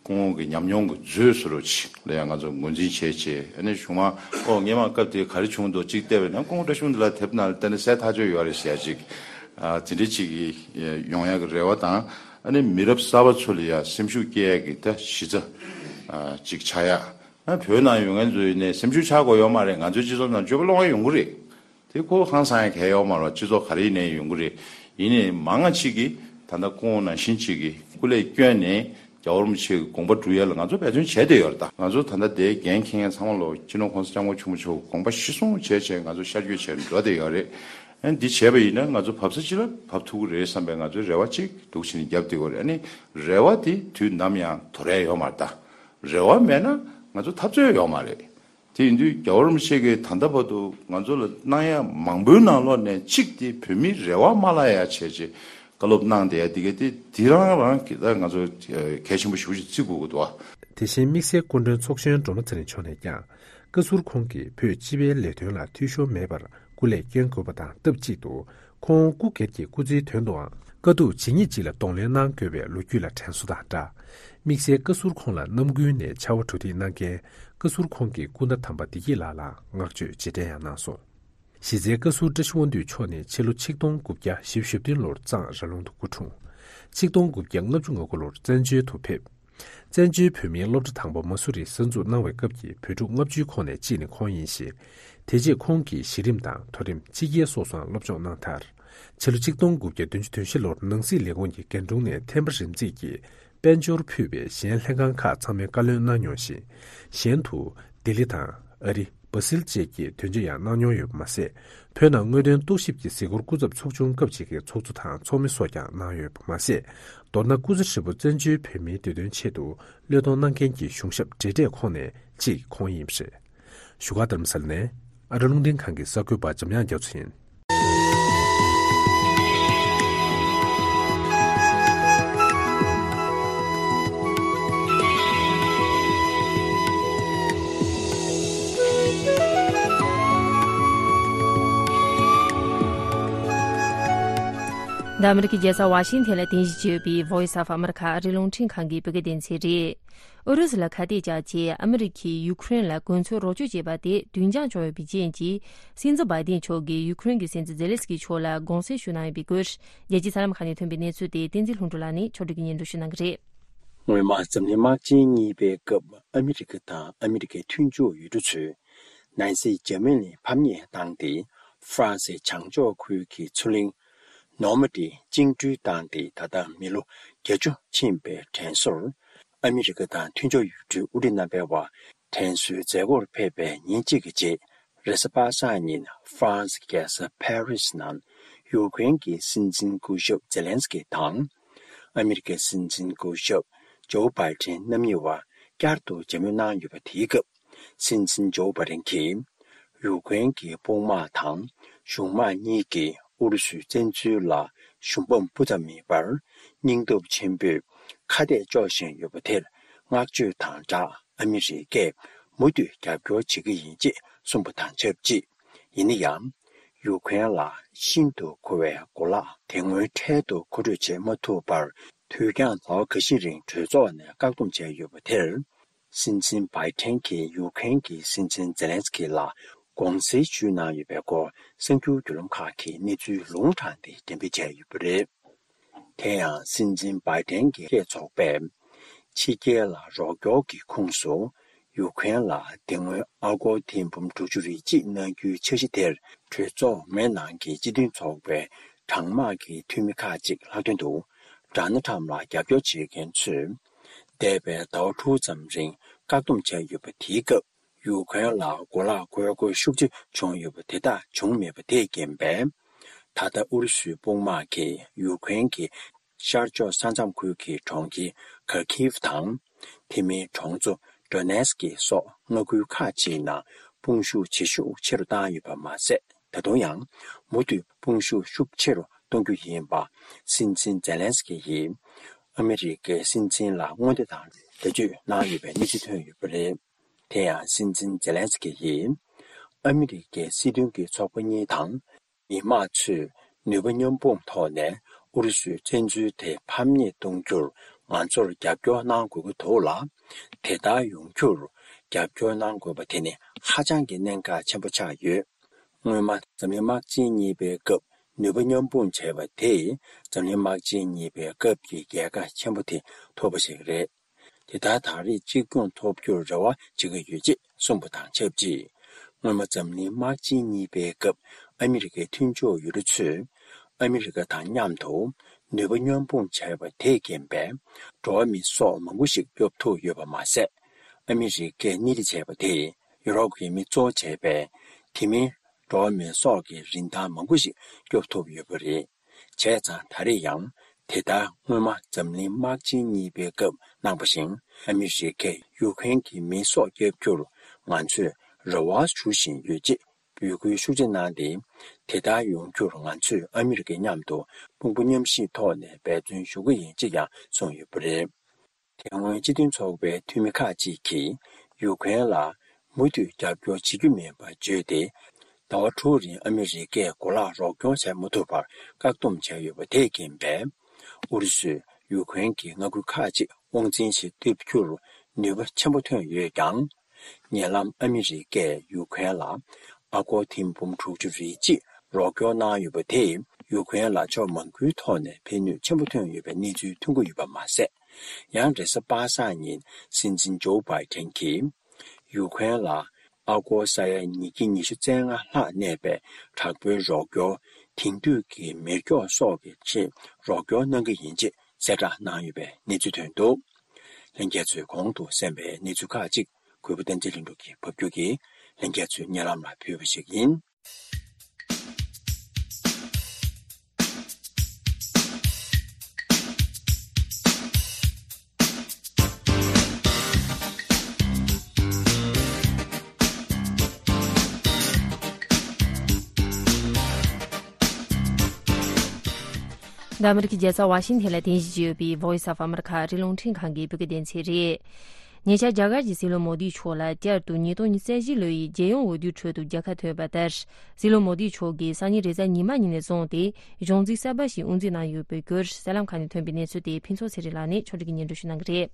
སྐུ་ངོ་གི་ཉམས་མྱོང་གི་མཛོད་བཟོ་འདྲ་ཅིག་ལ་ཡང་ང་ཚོ་ངོས་འཛིན་བྱས་བྱས། ཨ་ནི་གཞུག་མ་ཨོ་སྔས་མ་སྐབས་དེ་ག་རེ་བྱུང་འདུག་ཅིག་བལྟས་པས་ན་སྐུ་ངོ་བཀྲ་ཤིས་དབང་འདུས་ལགས་དེབ་ནང་ལ་བལྟས་ན་གསལ་ཐག་ཆོད་ཡོད་རེད་ཟེར་ཡ་ཅིག་ཨ་དེ་འདྲ་ཅིག་གི་ཡོང་ཡ་གི་རེ་བ་དང་། ཨ་ནི་མི་རབས་གསར་པ་ཚོ་ལ་ཡ་སེམས་ཤུགས་སྐྱེད་ཡ་གི་ད་གཞི་རྩ་ཨ་ཅིག་ཆགས་ཡ། ཨ་བོད་ནང་ཡོད་མཁན་ཚོ་ཡིན་ནའི་སེམས་ཤུགས་ཆག་དགོས་ཡོད་མ་རེད། ང་ཚོའི་སྤྱི་ཚོགས་ནང་སྤྱོད་པ་སློང་ཡ་ཡོང་གི་རེད། དེ་ཁོ་ཧང་སང་ཡ་གལ་ཡོད་མ་རེད། སྤྱི་ཚོགས་ག་རེ་ཡིན་ནའི་ཡོང་གི་རེད། ཡིན་ནའི་མང་ང་ཅིག་གིས་ད་ལྟ་སྐུ་ངོ་ནང་བཞིན་ཅིག་གིས་སྐུ་ལས་བསྐྱོན་ནས་རྒྱལ་བ་རིན་པོ་ཆེ་གི་དགོངས་པ་སྒྲུབ་ཡ་ལ་ང་ཚོ་འབད་བརྩོན་བྱས་བསྡད་ཡོད་རེད། ད་ང་ཚོ་ད་ལྟ་དེའི་འགན་འཁྱེར་མཁན་ཚང་མ་ལོ་སྤྱི་ནོར་༸གོང་ས་༸སྐྱབས་མགོན་ཆེན་པོ་མཆོག་གི་དགོངས་པ་གཞིར་བཟུང་བྱས་བྱས་ང་ཚོ་ཤར་བསྐྱོད་བྱས་འགྲོ་བསྡད་ཡོད་རེད། ཨ་འདི་བྱས་པ་ཡིན་ན་ང་ཚོ་བབས་ས་ཅི་ལ་བབས་ཐུབ་ཀྱི་རེད་བསམ་པའི་ང་ཚོའི་རེ་བ་གཅིག་འདུག་བྱས་ནས་རྒྱབ་བསྡད་ཡོད་རེད། ཨ་ནི་རེ་བ་དེ་དུས་ནམ་ཡང་དོར་ཡ་ཡོད་མ་རེད། ད་རེ་བ་མེད་ན་ང་ཚོ་འཐབ་རྩོད་ཡོད་མ་རེད། དེ་ཡིན་དུས་རྒྱལ་བ་རིན་པོ་ཆེ་གིས་ད་ལྟ་བར་དུ་ང་ཚོ་ལ་གནང་ཡ་མང་པོའི་ནང་ལོགས་ནས་གཅིག་དེ་བོད་མིའི་རེ་བ་མ་བརླག་ཡ་བྱས་རྗེས་བཀའ་སློབ་གནང་བསྡད་ཡ་དེ་ག་དེ་དེ་རང་རང་གི་ད་ང་ཚོ་གལ་ཆེན་པོ་ཞེ་པོ་ཅིག་བརྩི་དགོས་ཀྱི་འདུག་ཨ། དེ་བཞིན་དམིགས་བསལ་སྐུ་མགྲོན་ཚོགས་གཞོན་སྒྲོལ་མ་ཚེ་རིང་མཆོག་ནས་ཀྱང་བཀའ་ཟུར་ཁོང་གིས་བོད་སྤྱི་པའི་ལས་དོན་ལ་འཐུས་ཤོར་མེད་པར་སྐུ་ལས་བསྐྱོན་དགོས་པ་དང་སྟབས་གཅིག་ཏུ། ཁོང་སྐུ་སྒེར་གྱི་སྐུ་ཚེའི་དོན་དུའང་དཀའ་སྡུག་ཇི་སྙེད་ཅིག་ལ་གདོང་ལེན་གནང་དགོས་པའི་ལོ་རྒྱུས་ལ་དྲན་གསོ་དང་སྦྲགས། དམིགས་བསལ་བཀའ་ཟུར་ཁོང་ལ་རྣམ་ཀུན་ནས་ཕྱར་བ་གྲུ་འདེགས་གནང་མཁན་བཀའ་ཟུར་ཁོང་གི་སྐུ་ཟླ་དམ་པ་བདེ་སྐྱིད་ལགས་ལ་བསྔགས་བརྗོད་རྗེས་དྲན་ཡང་གནང་སོང་། གཞི་རྩའི་བཀའ་ཟུར་བཀྲ་ཤིས་དབང་འདུས་མཆོག་ནི་ཕྱི་ལོ་ཆིག་སྟོང་དགུ་བརྒྱ་བཞི་བཅུ་ཞེ་བདུན་ལོར་གཙང་ར་ལུང་དུ་སྐུ་འཁྲུངས། ཆིག་སྟོང་དགུ་བརྒྱ་ལྔ་བཅུ་ང་དགུ་ལོར་བཙན་བྱོལ་དུ་ཕེབས། བཙན་བྱོལ་བོད་མིའི་སློབ་གྲྭ་དང་པོ་མ་སུ་རིར་གསར་འཛུགས་གནང་བའི་སྐབས་ཀྱི་བོད་ཕྲུག་ལྔ་བཅུའི་ཁོངས་ནས་གཅིག་ནི་ཁོང་ཡིན་ཞིང་། དེ་རྗེས་ཁོང་གིས་གཞི་རིམ་དང་མཐོ་རིམ་ཕྱི་རྒྱལ་སོགས་སུའང་སློབ་སྦྱོང་གནང་མཐར། ཕྱི་ལོ་ཆིག་སྟོང་དགུ་བརྒྱ་བདུན་ཅུ་དོན་བཞི་ལོར་ནང་སྲིད་ལས་ཁུངས་ཀྱི་རྒན་དྲུང་ནས་ཐེམ་པ་རིམ་འཛེགས་ཀྱིས་དཔལ་འབྱོར་ཕུད་པའི་གཞན་ལྷན་ཁང་ཁག་ཚང་མའི་བཀའ་བློན་གནང་མྱོང་ཞིང་། གཞན་དུ་ལྡི་ལི་དང་ཨ་རི། སྦ་སིལ་བཅས་ཀྱི་དོན་གཅོད་ཡང་གནང་མྱོང་ཡོད་པ་མ་ཟད། བོད་ནང་དངོས་དོན་རྟོག་ཞིབ་ཀྱི་གཟིགས་སྐོར་སྐུ་ཚབ་ཚོགས་ཆུང་སྐབས་གཅིག་གི་ཚོགས་གཙོ་དང་ཚོགས་མི་སོགས་ཀྱང་གནང་ཡོད་པ་མ་ཟད། མདོར་ན་སྐུ་ཚེ་ཧྲིལ་པོ་བཙན་བྱོལ་བོད་མིའི་བདེ་དོན་ཆེད་དུ་བློས་གཏོང་གནང་མཁན་གྱི་གཞུང་ཞབས་བགྲེས་གྲས་ཁོངས་ནས་གཅིག་ཁོང་ཡིན་པ་རེད། བཞུགས་སྒར་རྡ་རམ་ས་ལ་ནས་ཨ་རི་རླུང་འཕྲིན་ཁང་གི་གསར་འགོད་པ་འཇམ་དབྱངས་རྒྱ་མཚོ་ཡིན། འདི་ཨ་མི་རི་ཀའི་རྒྱལ་ས་ཝ་ཤིང་ཐན་ལ་རྟེན་གཞི་བྱས་ཡོད་པའི་Voice of America ཨ་རིའི་རླུང་འཕྲིན་ཁང་གི་བོད་སྐད་སྡེ་ཚན་རེད། ཨུ་རུ་སུ་ལ་ཁ་གཏད་བཅག་ཆེད་ཨ་མི་རི་ཀས་ཡུ་ཁུ་རེན་ལ་གོ་མཚོན་རོགས་སྐྱོར་བྱས་པ་དེ་བདུན་འགྱངས་བྱུང་ཡོད་པའི་རྐྱེན་གྱིས། སྲིད་འཛིན་བྷའི་ཏིན་མཆོག་གིས་ཡུ་ཁུ་རེན་གྱི་སྲིད་འཛིན་ཛེ་ལེན་སི་ཀི་མཆོག་ལ་དགོངས་སེལ་ཞུ་གནང་ཡོད་པའི་སྐོར། རྒྱལ་སྤྱིའི་གསར་ལམ་ཁག་ནས་ཐོན་པའི་གནས་ཚུལ་དེ་བསྟན་འཛིན་ལྷུན་གྲུབ་ལགས་ནས་ཕྱོགས་སྒྲིག་གིས་སྙན་སྒྲོན་ཞུ་གནང་གི་རེད། སྔོན་མ་འཛམ་གླིང་དམག་ཆེན་གཉིས་པའི་སྐབས་ཨ་མི་རི་ཀ་དང་ཨ་མི་རི་ཀའི་མཐུན་ཕྱོགས་ཡུལ་གྲུ་ཚོས་ནན་སི་འཇར་མ་ནི་ཕམ་ཉེས་བཏང་སྟེ། ཧྥ་རན་སིའི་བྱང་ཕྱོགས་ཁུལ་གྱི་མཚོ་གླིང་ནོར་མ་ཌི་བཅིངས་འགྲོལ་བཏང་སྟེ། ད་ལྟ་མི་ལོ་བརྒྱད་ཅུ་ཕྱིན་པའི་དྲན་གསོར། ཨ་མི་རི་ཀ་དང་མཐུན་ཕྱོགས་ཡུལ་གྲུའི་དབུ་ཁྲིད་རྣམ་པའི་དབར་དྲན་གསོའི་མཛད་སྒོར་ཕེབས་པའི་ཉིན་གཅིག་གི་རྗེས། རེས་གཟའ་པ་སངས་ཉིན་ཧྥ་རན་སིའི་རྒྱལ་ས་ཕ་རི་སི་ནང་ཡུ་ཀེ་རེན་གྱི་སྲིད་འཛིན་སྐུ་ཞབས་ཛེ་ལན་སི་ཀི་དང་། ཨ་མི་རི་ཀའི་སྲིད་འཛིན་སྐུ་ཞབས་ཇོ་བྷའི་ཏིན་རྣམ་གཉིས་བར་བསྐྱར་དུ་མཇལ་མོལ་གནང་ཡོད་པ་དེའི་སྐབས། སྲིད་འཛིན་ཇོ་བྷའི་ཏིན་གྱིས་ཡུ་ཀེ་རེན་གྱི་དཔུང་དམག་དང་གཞུང་དམག་གཉིས་ཀྱིས་ཨུ་རུ་སུའི་བཙན་འཛུལ་ལ་ཞུམ་པ་སྤུ་ཙམ་མེད་པར་སྙིང་སྟོབས་ཆེན་པོས་ཁ་གཏད་གཅོག་བཞིན་ཡོད་པ་དེར་བསྔགས་བརྗོད་དང་སྦྲགས། ཨ་མི་རི་ཀས་མུ་མཐུད་རྒྱབ་སྐྱོར་བྱེད་ཀྱི་ཡིན་ཅེས་གསུངས་པ་དང་ཆབས་ཅིག་ཡིན་ན་ཡང་། ཡུ་ཀེ་རེན་ལ་ཤིན་ཏུ་མཁོ་བའི་གོ་ལག་དེ་སྔོན་འཕྲལ་དུ་མཁོ་སྤྲོད་བྱེད་མ་ཐུབ་པར། དུས་འགྱངས་ཟླ་བ་འགའ་ཤས་རིང་གྲོས་ཚོགས་ནས་བཀག་སྡོམ་བྱས་ཡོད་པ་དེར། སྲིད་འཛིན་བྷའི་ཏིན་གྱིས་ཡུ་ཀེ་རེན་གྱི་སྲིད་འཛིན་ཛེ་ལན་སི་ཀི་ལ་དགོངས་སེལ་ཞུས་གནང་ཡོད་པའི་སྐོར། གསར་འགྱུར་བརྒྱུད་ལམ་ཁག་གིས་གནས་ཚུལ་ལུང་དྲངས་ཏེ་འགྲེམས་སྤེལ་བྱས་ཡོད་པ་རེད། དེ་ཡང་སྲིད་འཛིན་བྷའི་ཏིན་གྱི་སྐད་ཚོགས་པས། ཕྱི་རྒྱལ་ལ་རོགས་སྐྱོར་གྱི་ཁོངས་སུ་ཡུ་ཀེ་རེན་ལ་དེ་སྔོན་ཨ་སྒོར་ཐེར་འབུམ་དྲུག་ཅུ་རེ་གཅིག་གནང་རྒྱུའི་འཆར་གཞི་དེར། གྲོས་ཚོགས་མའི་ནང་གི་སྤྱི་མཐུན་ཚོགས་པའི་གྲང་དམག་གི་འཐུས་མི་ཁག་ཅིག་ལྷག་དོན་དུ། ཌོ་ནལ་ཊམ་ལ་རྒྱབ་སྐྱོར་བྱེད་མཁན་ཚོས། འདས་པའི་ཟླ་བ་དྲུག་ཙམ་རིང་བཀག་སྡོམ་བྱས་ཡོད་པ་དེའི་སྐབས། ཡུ་ཀེ་རེན་ལ་གོ་ལག་དགོས་མཁོ་ཤུགས་ཆེ་བྱུང་ཡོད་པ་དེ་དག་བྱུང་མེད་པ་དེས་རྐྱེན་པས། ད་ལྟ་ཨུ་རུ་སུའི་དཔུང་དམག་གིས་ཡུ་ཀེ་རེན་གྱི་ཤར་ཕྱོགས་ས་མཚམས་ཁུལ་གྱི་གྲོང་ཁྱེར་ཁར་ཁིབ་དང་། དེ་མིན་གྲོང་ཚོ་ཌོ་ནེ་སི་ཀི་སོགས་མངའ་ཁུལ་ཁག་ཅིག་ནང་དཔུང་ཤུགས་ཇེ་ཤུགས་ཆེ་རུ་བཏང་ཡོད་པ་མ་ཟད། ད་དུང་ཡང་མུ་མཐུད་དཔུང་ཤུགས་ཤུགས་ཆེ་རུ་གཏོང་རྒྱུ་ཡིན་པ། སྲིད་འཛིན་ཛེ་ལན་སི་ཀི་ཡིས་ཨ་མི་རི་ཀའི་སྲིད་འཛིན་ལ་མངོན་བརྡ་དང་འགྲེལ་བརྗོད་གནང་ཡོད་པའི་གནས་ཚུལ་ཐོན་ཡོད་པ་རེད། དེ་ཡང་སྲིད་འཛིན་ཛེ་ལན་སི་ཀི་ཡིས། ཨ་མི་རི་ཀའི་སྲིད་དོན་གྱི་ཚོགས་པ་གཉིས་དང་། མི་དམངས་ཚོས་ནུས་པ་མཉམ་སྤུངས་ཐོག་ནས་ཨུ་རུ་སུའི་བཙན་འཛུལ་དེ་ཕམ་ཉེས་གཏོང་རྒྱུར་ང་ཚོར་རྒྱབ་སྐྱོར་གནང་དགོས་ཀྱི་འདུག་ལ། དེ་ལྟར་ཡོང་རྒྱུར་རྒྱབ་སྐྱོར་གནང་དགོས་པ་དེ་ནི་ཧ་ཅང་གི་གནད་འགག་ཆེན་པོ་ཆགས་ཡོད། སྔོན་མ་འཛམ་གླིང་དམག་ཆེན་གཉིས་པའི་སྐབས་ནུས་པ་མཉམ་སྤུངས་བྱས་པ་དེས་འཛམ་གླིང་དམག་ཆེན་གཉིས་པའི་སྐབས་ཀྱི་རྒྱལ་ཁ་ཆེན་པོ་དེ་ཐོབ་པ་ཞིག་རེད། དེ་ལྟར་ད་རེས་གཅིག་མཚུངས་ཐོབ་རྒྱུར་རེ་བ་བྱེད་ཀྱི་ཡོད་ཅེས་གསུངས་པ་དང་ཆབས་ཅིག་སྔོན་མ་འཛམ་གླིང་དམག་ཆེན་གཉིས་པའི་སྐབས་ཨ་མི་རི་ཀའི་མཐུན་ཕྱོགས་ཡུལ་གྲུ་ཚོས་ཨ་མི་རི་ཀ་དང་མཉམ་དུ་ནུས་པ་མཉམ་སྤུངས་བྱས་པ་དེས་རྐྱེན་པས། འགྲོ་བ་མིའི་སྲོག་མང་པོ་ཞིག་སྐྱོབ་ཐུབ་ཡོད་པ་མ་ཟད། ཨ་མི་རི་ཀས་སྣེ་ཁྲིད་བྱས་པ་དེས་ཡུ་རོབ་ཀྱི་མི་གཙོ་བྱས་པའི་དེ་མིན་འགྲོ་བ་མིའི་སྲོག་གི་རིན་ཐང་མང་པོ་ཞིག་སྐྱོབ་ཐུབ་ཡོད་པ་རེད། བྱས་ཙང་ད་རེས་ཡང་དེ་ལྟར་སྔོན་མ་འཛམ་གླིང་དམག་ཆེན་གཉིས་པའི་སྐབས་གནང་བ་བཞིན་ཨ་མི་རི་ཀས་ཡུ་ཀེ་རེན་གྱི་མིའི་སྲོག་སྐྱབས་རྒྱུར་ང་ཚོས་རེ་བ་ཞུ་བཞིན་ཡོད་ཅེས་འབོད་སྐུལ་ཤུགས་ཆེ་གནང་སྟེ། དེ་ལྟར་ཡོང་རྒྱུར་ང་ཚོས་ཨ་མི་རི་ཀའི་མཉམ་དུ་དཔུང་པ་མཉམ་གཤིབ་ཐོག་ནས་འབད་བརྩོན་ཞུ་གི་ཡིན་ཅེས་ཀྱང་གསུངས་ཡོད་པ་རེད། དེ་སྔོན་སྤྱི་མཐུན་ཚོགས་པའི་འཐུས་མི་ཁག་ཅིག་གིས་ཡུ་ཀེ་རེན་ལ་མུ་མཐུད་རྒྱབ་སྐྱོར་བྱེད་རྒྱུ་མིན་པ་བརྗོད་དེ། ཟླ་བ་དྲུག་རིང་ཨ་མི་རི་ཀས་གོ་ལག་རོགས་སྐྱོར་བྱས་མ་ཐུབ་པར་བཀག་སྡོམ་བྱས་ཡོད་པ་དེས་རྐྱེན་པས། ཨུ་རུ་སུས་ཡུ་ཀེ་རེན་གྱི་མངའ་ཁུལ་ཁག་ཅིག་དབང་འཛིན་ཞིག་སྟེར་རྒྱུར་ནུས་པ་ཆེན་པོ་ཐོན་ཡོད་ཀྱང་། ཉེ་ལམ་ཨ་མི་རི་ཀས་ཡུ་ཀེ་རེན་ལ་ཨ་སྒོར་ཐེར་འབུམ་དྲུག་ཅུ་རེ་གཅིག་རོགས་སྐྱོར་གནང་ཡོད་པ་དེས་ཡུ་ཀེ་རེན་ལ་ཕྱོགས་མང་པོའི་ཐོག་ནས་ཕན་ནུས་ཆེན་པོ་ཐོན་ཡོད་པའི་གནས་ཚུལ་ཐོན་གྱི་ཡོད་པ་མ་ཟད། ཡང་རེས་གཟའ་པ་སངས་ཉིན་སྲིད་འཛིན་ཇོ་བྷའི་ཏན་གྱིས་ཡུ་ཀེ་རེན་ལ་ཨ་སྒོར་ས་ཡ་ཉིས་བརྒྱ་ཉི་ཤུ་རྩ་ལྔ་ལྷག་གནས་པའི་དྲག་པོའི་རོགས་སྐྱོར། དེང་དུས་ཀྱི་མེ་སྒྱོགས་སོགས་ཀྱི་ཆེད་རོགས་སྐྱོར་གནང་གི་ཡིན་ཅེས་གསལ་བསྒྲགས་གནང་ཡོད་པའི་གནས་ཚུལ་ཐོན་འདུག་ལྷན་རྒྱས་ཚོས་གོང་དུ་གསན་པའི་གནས་ཚུལ་ཁག་ཅིག་གུས་པ་བསྟན་འཛིན་ལྷུན་གྲུབ་ཀྱིས་ཕབ་སྒྱུར་གྱིས་ལྷན་རྒྱས་ཚོའི་སྙན་ལམ་ལ་ཕུལ་བ་ཞིག་ཡིན། འདི་ཨ་མི་རི་ཀའི་རྒྱལ་ས་ཝ་ཤིང་ཐན་ལ་རྟེན་གཞི་བྱས་ཡོད་པའི་Voice of America ཨ་རིའི་རླུང་འཕྲིན་ཁང་གི་བོད་སྐད་སྡེ་ཚན་རེད། ཉེ་ཆར་རྒྱ་གར་གྱི་སྲིད་བློན་མོ་དི་མཆོག་ལ་བསྐྱར་དུ་ཉིས་སྟོང་ཉི་ཤུ་རྩ་བཞི་ལོའི་རྒྱལ་ཡོངས་འོས་བསྡུའི་ཁྲོད་དུ་རྒྱལ་ཁ་ཐོབ་པ་ལྟར། སྲིད་བློན་མོ་དི་མཆོག་གིས་སང་ཉིན་རེས་གཟའ་ཉི་མ་ཉིན་ནས་བཟུང་སྟེ་གཞུང་འཛིན་གསར་པ་ཞིག་དབུ་འཛུགས་གནང་ཡོད་པའི་སྐོར་གསར་ལམ་ཁག་ནས་ཐོན་པའི་གནས་ཚུལ་དེ་ཕུན་ཚོགས་ཚེ་རིང་ལགས་ནས་ཕྱོགས་སྒྲིག་གིས་སྙན་སྒྲོན་ཞུ་གནང་གི་རེད།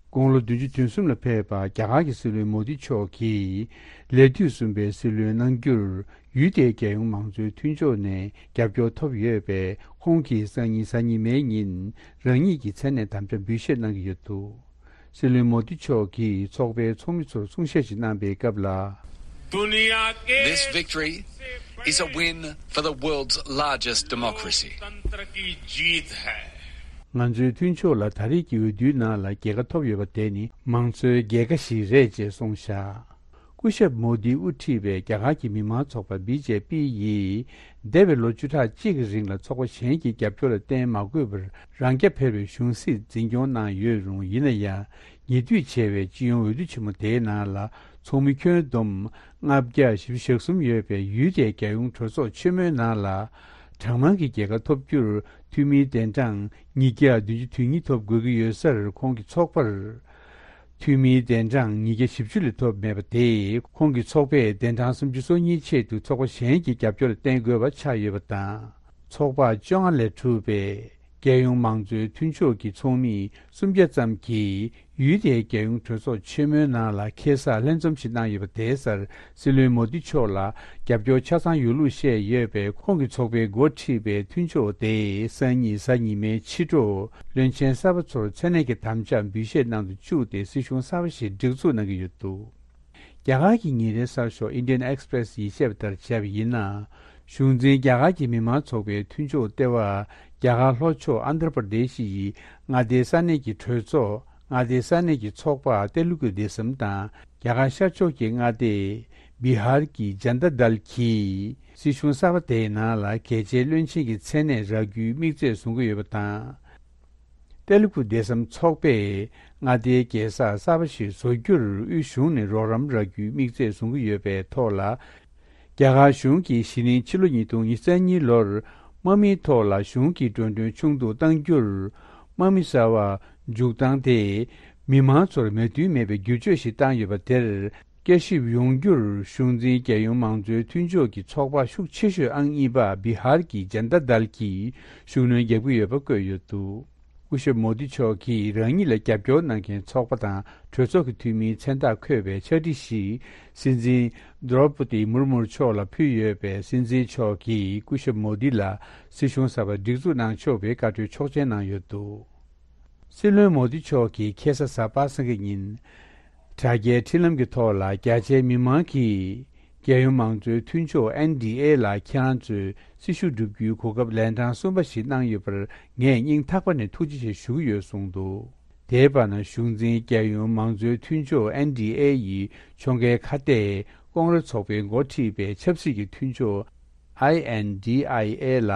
དགུང་ལོ་བདུན་ཅུ་དོན་གསུམ་ལ་ཕེབས་པ་རྒྱ་གར་གྱི་སྲིད་བློན་མོ་དི་མཆོག་གིས་ལས་དུས་གསུམ་པའི་སྲིད་བློན་གནང་རྒྱུར་ཡུལ་དེའི་རྒྱལ་ཡོངས་མང་གཙོའི་མཐུན་ཕྱོགས་ནས་རྒྱབ་སྐྱོར་ཐོབ་ཡོད་པས། ཁོང་གིས་སང་ཉིན་གཟའ་ཉི་མའི་ཉིན་རང་ཉིད་ཀྱི་མཚན་ནས་དམ་བཅའ་འབུལ་བཞེས་གནང་གི་ཡོད་འདུག་སྲིད་བློན་མོ་དི་མཆོག་གིས་ཚོགས་པའི་ཚོགས་མི་ཚོར་གསུང་བཤད་ཞིག་གནང་པའི་སྐབས་ལ། दुनिया के This victory is a win for the world's largest democracy. लोकतंत्र की जीत है। ང་ཚོའི་མཐུན་ཕྱོགས་ལ་ད་རེས་ཀྱི་འོས་བསྡུའི་ནང་ལ་རྒྱལ་ཁ་ཐོབ་ཡོད་པ་དེ་ནི་མང་གཙོའི་རྒྱལ་ཁ་ཞིག་རེད་ཅེས་གསུངས་བཞག་སྐུ་ཞབས་མོ་དིས་དབུ་ཁྲིད་པའི་རྒྱ་གར་གྱི་མི་མང་ཚོགས་པ་བི་ཇེ་པི་ཡིས་འདས་པའི་ལོ་བཅུ་ཕྲག་གཅིག་གི་རིང་ལ་ཚོགས་པ་གཞན་གྱི་རྒྱབ་སྐྱོར་ལ་བརྟེན་མ་དགོས་པར་རང་རྐྱ་འཕེར་བའི་གཞུང་སྲིད་འཛིན་སྐྱོང་གནང་ཡོད་རུང་། ཡིན་ན་ཡང་ཉེ་དུས་བྱས་པའི་སྤྱི་ཡོངས་འོས་བསྡུ་ཆེན་མོ་དེའི་ནང་ལ་ཚོགས་མི་ཁྱོན་བསྡོམས་ལྔ་བརྒྱ་བཞི་བཅུ་ཞེ་གསུམ་ཡོད་པའི་ཡུལ་དེའི་རྒྱལ་ཡོངས་གྲོས་ཚོགས་ཆེན་མོའི་ནང་ལ་གྲངས་མང་གི་རྒྱལ་ཁ་ཐོབ་རྒྱུར་འཐུས་མིའི་གདན་གྲངས་ཉིས་བརྒྱ་བདུན་ཅུ་དོན་གཉིས་ཐོབ་དགོས་ཀྱི་ཡོད་སར། ཁོང་གི་ཚོགས་པར་འཐུས་མིའི་གདན་གྲངས་ཉིས་བརྒྱ་བཞི་བཅུ་ལས་ཐོབ་མེད་པ་དེས་ཁོང་གི་ཚོགས་པས་གདན་གྲངས་སུམ་ཅུ་སོ་གཉིས་ཆེད་དུ་ཚོགས་པ་གཞན་གྱི་རྒྱབ་སྐྱོར་ལ་བརྟེན་དགོས་པ་ཆགས་ཡོད་པ་དང་། ཚོགས་པ་བཅོ་ལྔ་ལས་གྲུབ་པའི་རྒྱལ་ཡོངས་མང་གཙོའི་མཐུན་ཕྱོགས་ཀྱི་ཚོགས་མི་སུམ་བརྒྱ་ཙམ་གྱིས་ཡུལ་དེའི་རྒྱལ་ཡོངས་གྲོས་ཚོགས་ཆེན་མོའི་ནང་ལ་ཁེ་བཟང་ལྷན་འཛོམས་ཤིག་གནང་ཡོད་པ་དེའི་སར། སྲིད་བློན་མོ་དི་མཆོག་ལ་རྒྱབ་སྐྱོར་ཆ་ཚང་ཡོད་ལུགས་བཤད་ཡོད་པས། ཁོང་གི་ཚོགས་པས་འགོ་ཁྲིད་པའི་མཐུན་ཕྱོགས་དེས་སང་ཉིན་གཟའ་ཉི་མའི་ཕྱི་དྲོ་བློན་ཆེན་གསར་པ་ཚོར་མཚན་གནས་ཀྱི་དམ་བཅའ་འབུལ་བཞེས་གནང་དུ་བཅུག་སྟེ་སྲིད་གཞུང་གསར་པ་ཞིག་སྒྲིག་འཛུགས་གནང་གི་ཡོད་འདུག་རྒྱ་གར་གྱི་ཉིན་རེའི་གསར་ཤོག་Indian Express་ཡིས་བཤད་པ་ལྟར་བྱས་པ་ཡིན་ན། གཞུང་འཛིན་རྒྱ་གར་གྱི་མི་མང་ཚོགས་པའི་མཐུན་ཕྱོགས་ལྟེ་བ་རྒྱ་གར་ལྷོ་ཕྱོགས་ཨན་དྷྲ་པར་དེ་ཤི་ཡི་མངའ་སྡེའི་ས་གནས་ཀྱི་གྲོས་ཚོགས། མངའ་སྡེའི་ས་གནས་ཀྱི་ཚོགས་པ་ཏེ་ལུ་གུ་དེ་སམ་དང་། རྒྱ་གར་ཤར་ཕྱོགས་ཀྱི་མངའ་སྡེ་བི་ཧར་གྱི་ཇན་ད་དལ་གྱིས་སྲིད་གཞུང་གསར་པ་དེའི་ནང་ལ་གལ་ཆེའི་བློན་ཆེན་གྱི་མཚན་གནས་རག་རྒྱུའི་དམིགས་ཚད་བཟུང་གི་ཡོད་པ་དང་། ཏེ་ལུ་གུ་དེ་སམ་ཚོགས་པས་མངའ་སྡེའི་རྒྱལ་ས་གསར་པ་ཞིག་བཟོ་རྒྱུར་དབུས་གཞུང་ནས་རོགས་རམ་རག་རྒྱུའི་དམིགས་ཚད་བཟུང་གི་ཡོད་པའི་ཐོག་ལ། རྒྱ་གར་གཞུང་གིས་གཞེས་ནིང་ཕྱི་ལོ་ཉིས་སྟོང་ཉི་ཤུ་རྩ་གཉིས་ལོར་དམག་མིའི་ཐོག་ལ་གཞུང་གི་འགྲོ་གྲོན་ཆུང་དུ་གཏང་རྒྱུར། དམག་མི་གསར་པ་འཇུག་སྟངས་དེས་མི་མང་ཚོར་མོས་མཐུན་མེད་པའི་བསྒྱུར་བཅོས་ཤིག་བཏང་ཡོད་པ་དེར། བསྐྱར་ཞིབ་ཡོང་རྒྱུར་གཞུང་འཛིན་རྒྱལ་ཡོངས་མང་གཙོའི་མཐུན་ཕྱོགས་ཀྱི་ཚོགས་པ་ཤུགས་ཆེ་ཤོས་ཨང་གཉིས་པ་བི་ཧར་གྱི་ཇན་ད་དལ་གྱིས་ཤུགས་སྣོན་རྒྱག་གི་ཡོད་པ་བཀོད་ཡོད་འདུག་སྐུ་ཞབས་མོ་དི་མཆོག་གིས་རང་ཉིད་ལ་རྒྱབ་སྐྱོར་གནང་མཁན་ཚོགས་པ་དང་གྲོས་ཚོགས་ཀྱི་འཐུས་མིའི་མཚན་རྟགས་འཁོད་པའི་ཕྱག་བྲིས་ཤིག་སྲིད་འཛིན་དྲོ་པོ་ཏི་མུར་མུར་མཆོག་ལ་ཕུལ་ཡོད་པས། སྲིད་འཛིན་མཆོག་གིས་སྐུ་ཞབས་མོ་དི་ལ་སྲིད་གཞུང་གསར་པ་སྒྲིག་འཛུགས་གནང་ཆོག་པའི་བཀའ་འཁྲོལ་ཆོག་མཆན་གནང་ཡོད་འདུག་སྲིད་བློན་མོ་དི་མཆོག་གིས་ཁ་སང་གཟའ་པ་སངས་ཀྱི་ཉིན། དྲ་རྒྱའི་འཕྲིན་ལམ་གྱི་ཐོག་ལ་རྒྱ་ཆེའི་མི་མང་གིས་རྒྱལ་ཡོངས་མང་གཙོའི་མཐུན་ཕྱོགས་ཨེན་ཌི་ཨེ་ལ་ཁྱེད་རང་ཚོས་སྲི་ཞུ་བསྒྲུབ་རྒྱུའི་གོ་སྐབས་ལན་གྲངས་གསུམ་པ་ཞིག་གནང་ཡོད་པར་ངས་སྙིང་ཐག་པ་ནས་ཐུགས་རྗེ་ཆེ་ཞུ་གི་ཡོད་གསུངས་འདུག་དེའི་བར་ན་གཞུང་འཛིན་རྒྱལ་ཡོངས་མང་གཙོའི་མཐུན་ཕྱོགས་ཨེན་ཌི་ཨེ་ཡི་ཕྱོགས་འགལ་ཁ་གཏད་ཀོང་རེ་ཚོགས་པས་འགོ་ཁྲིད་པའི་ཆབ་སྲིད་ཀྱི་མཐུན་ཕྱོགས་ཨའི་ཨེན་ཌི་ཨའི་ཨེ་ལ།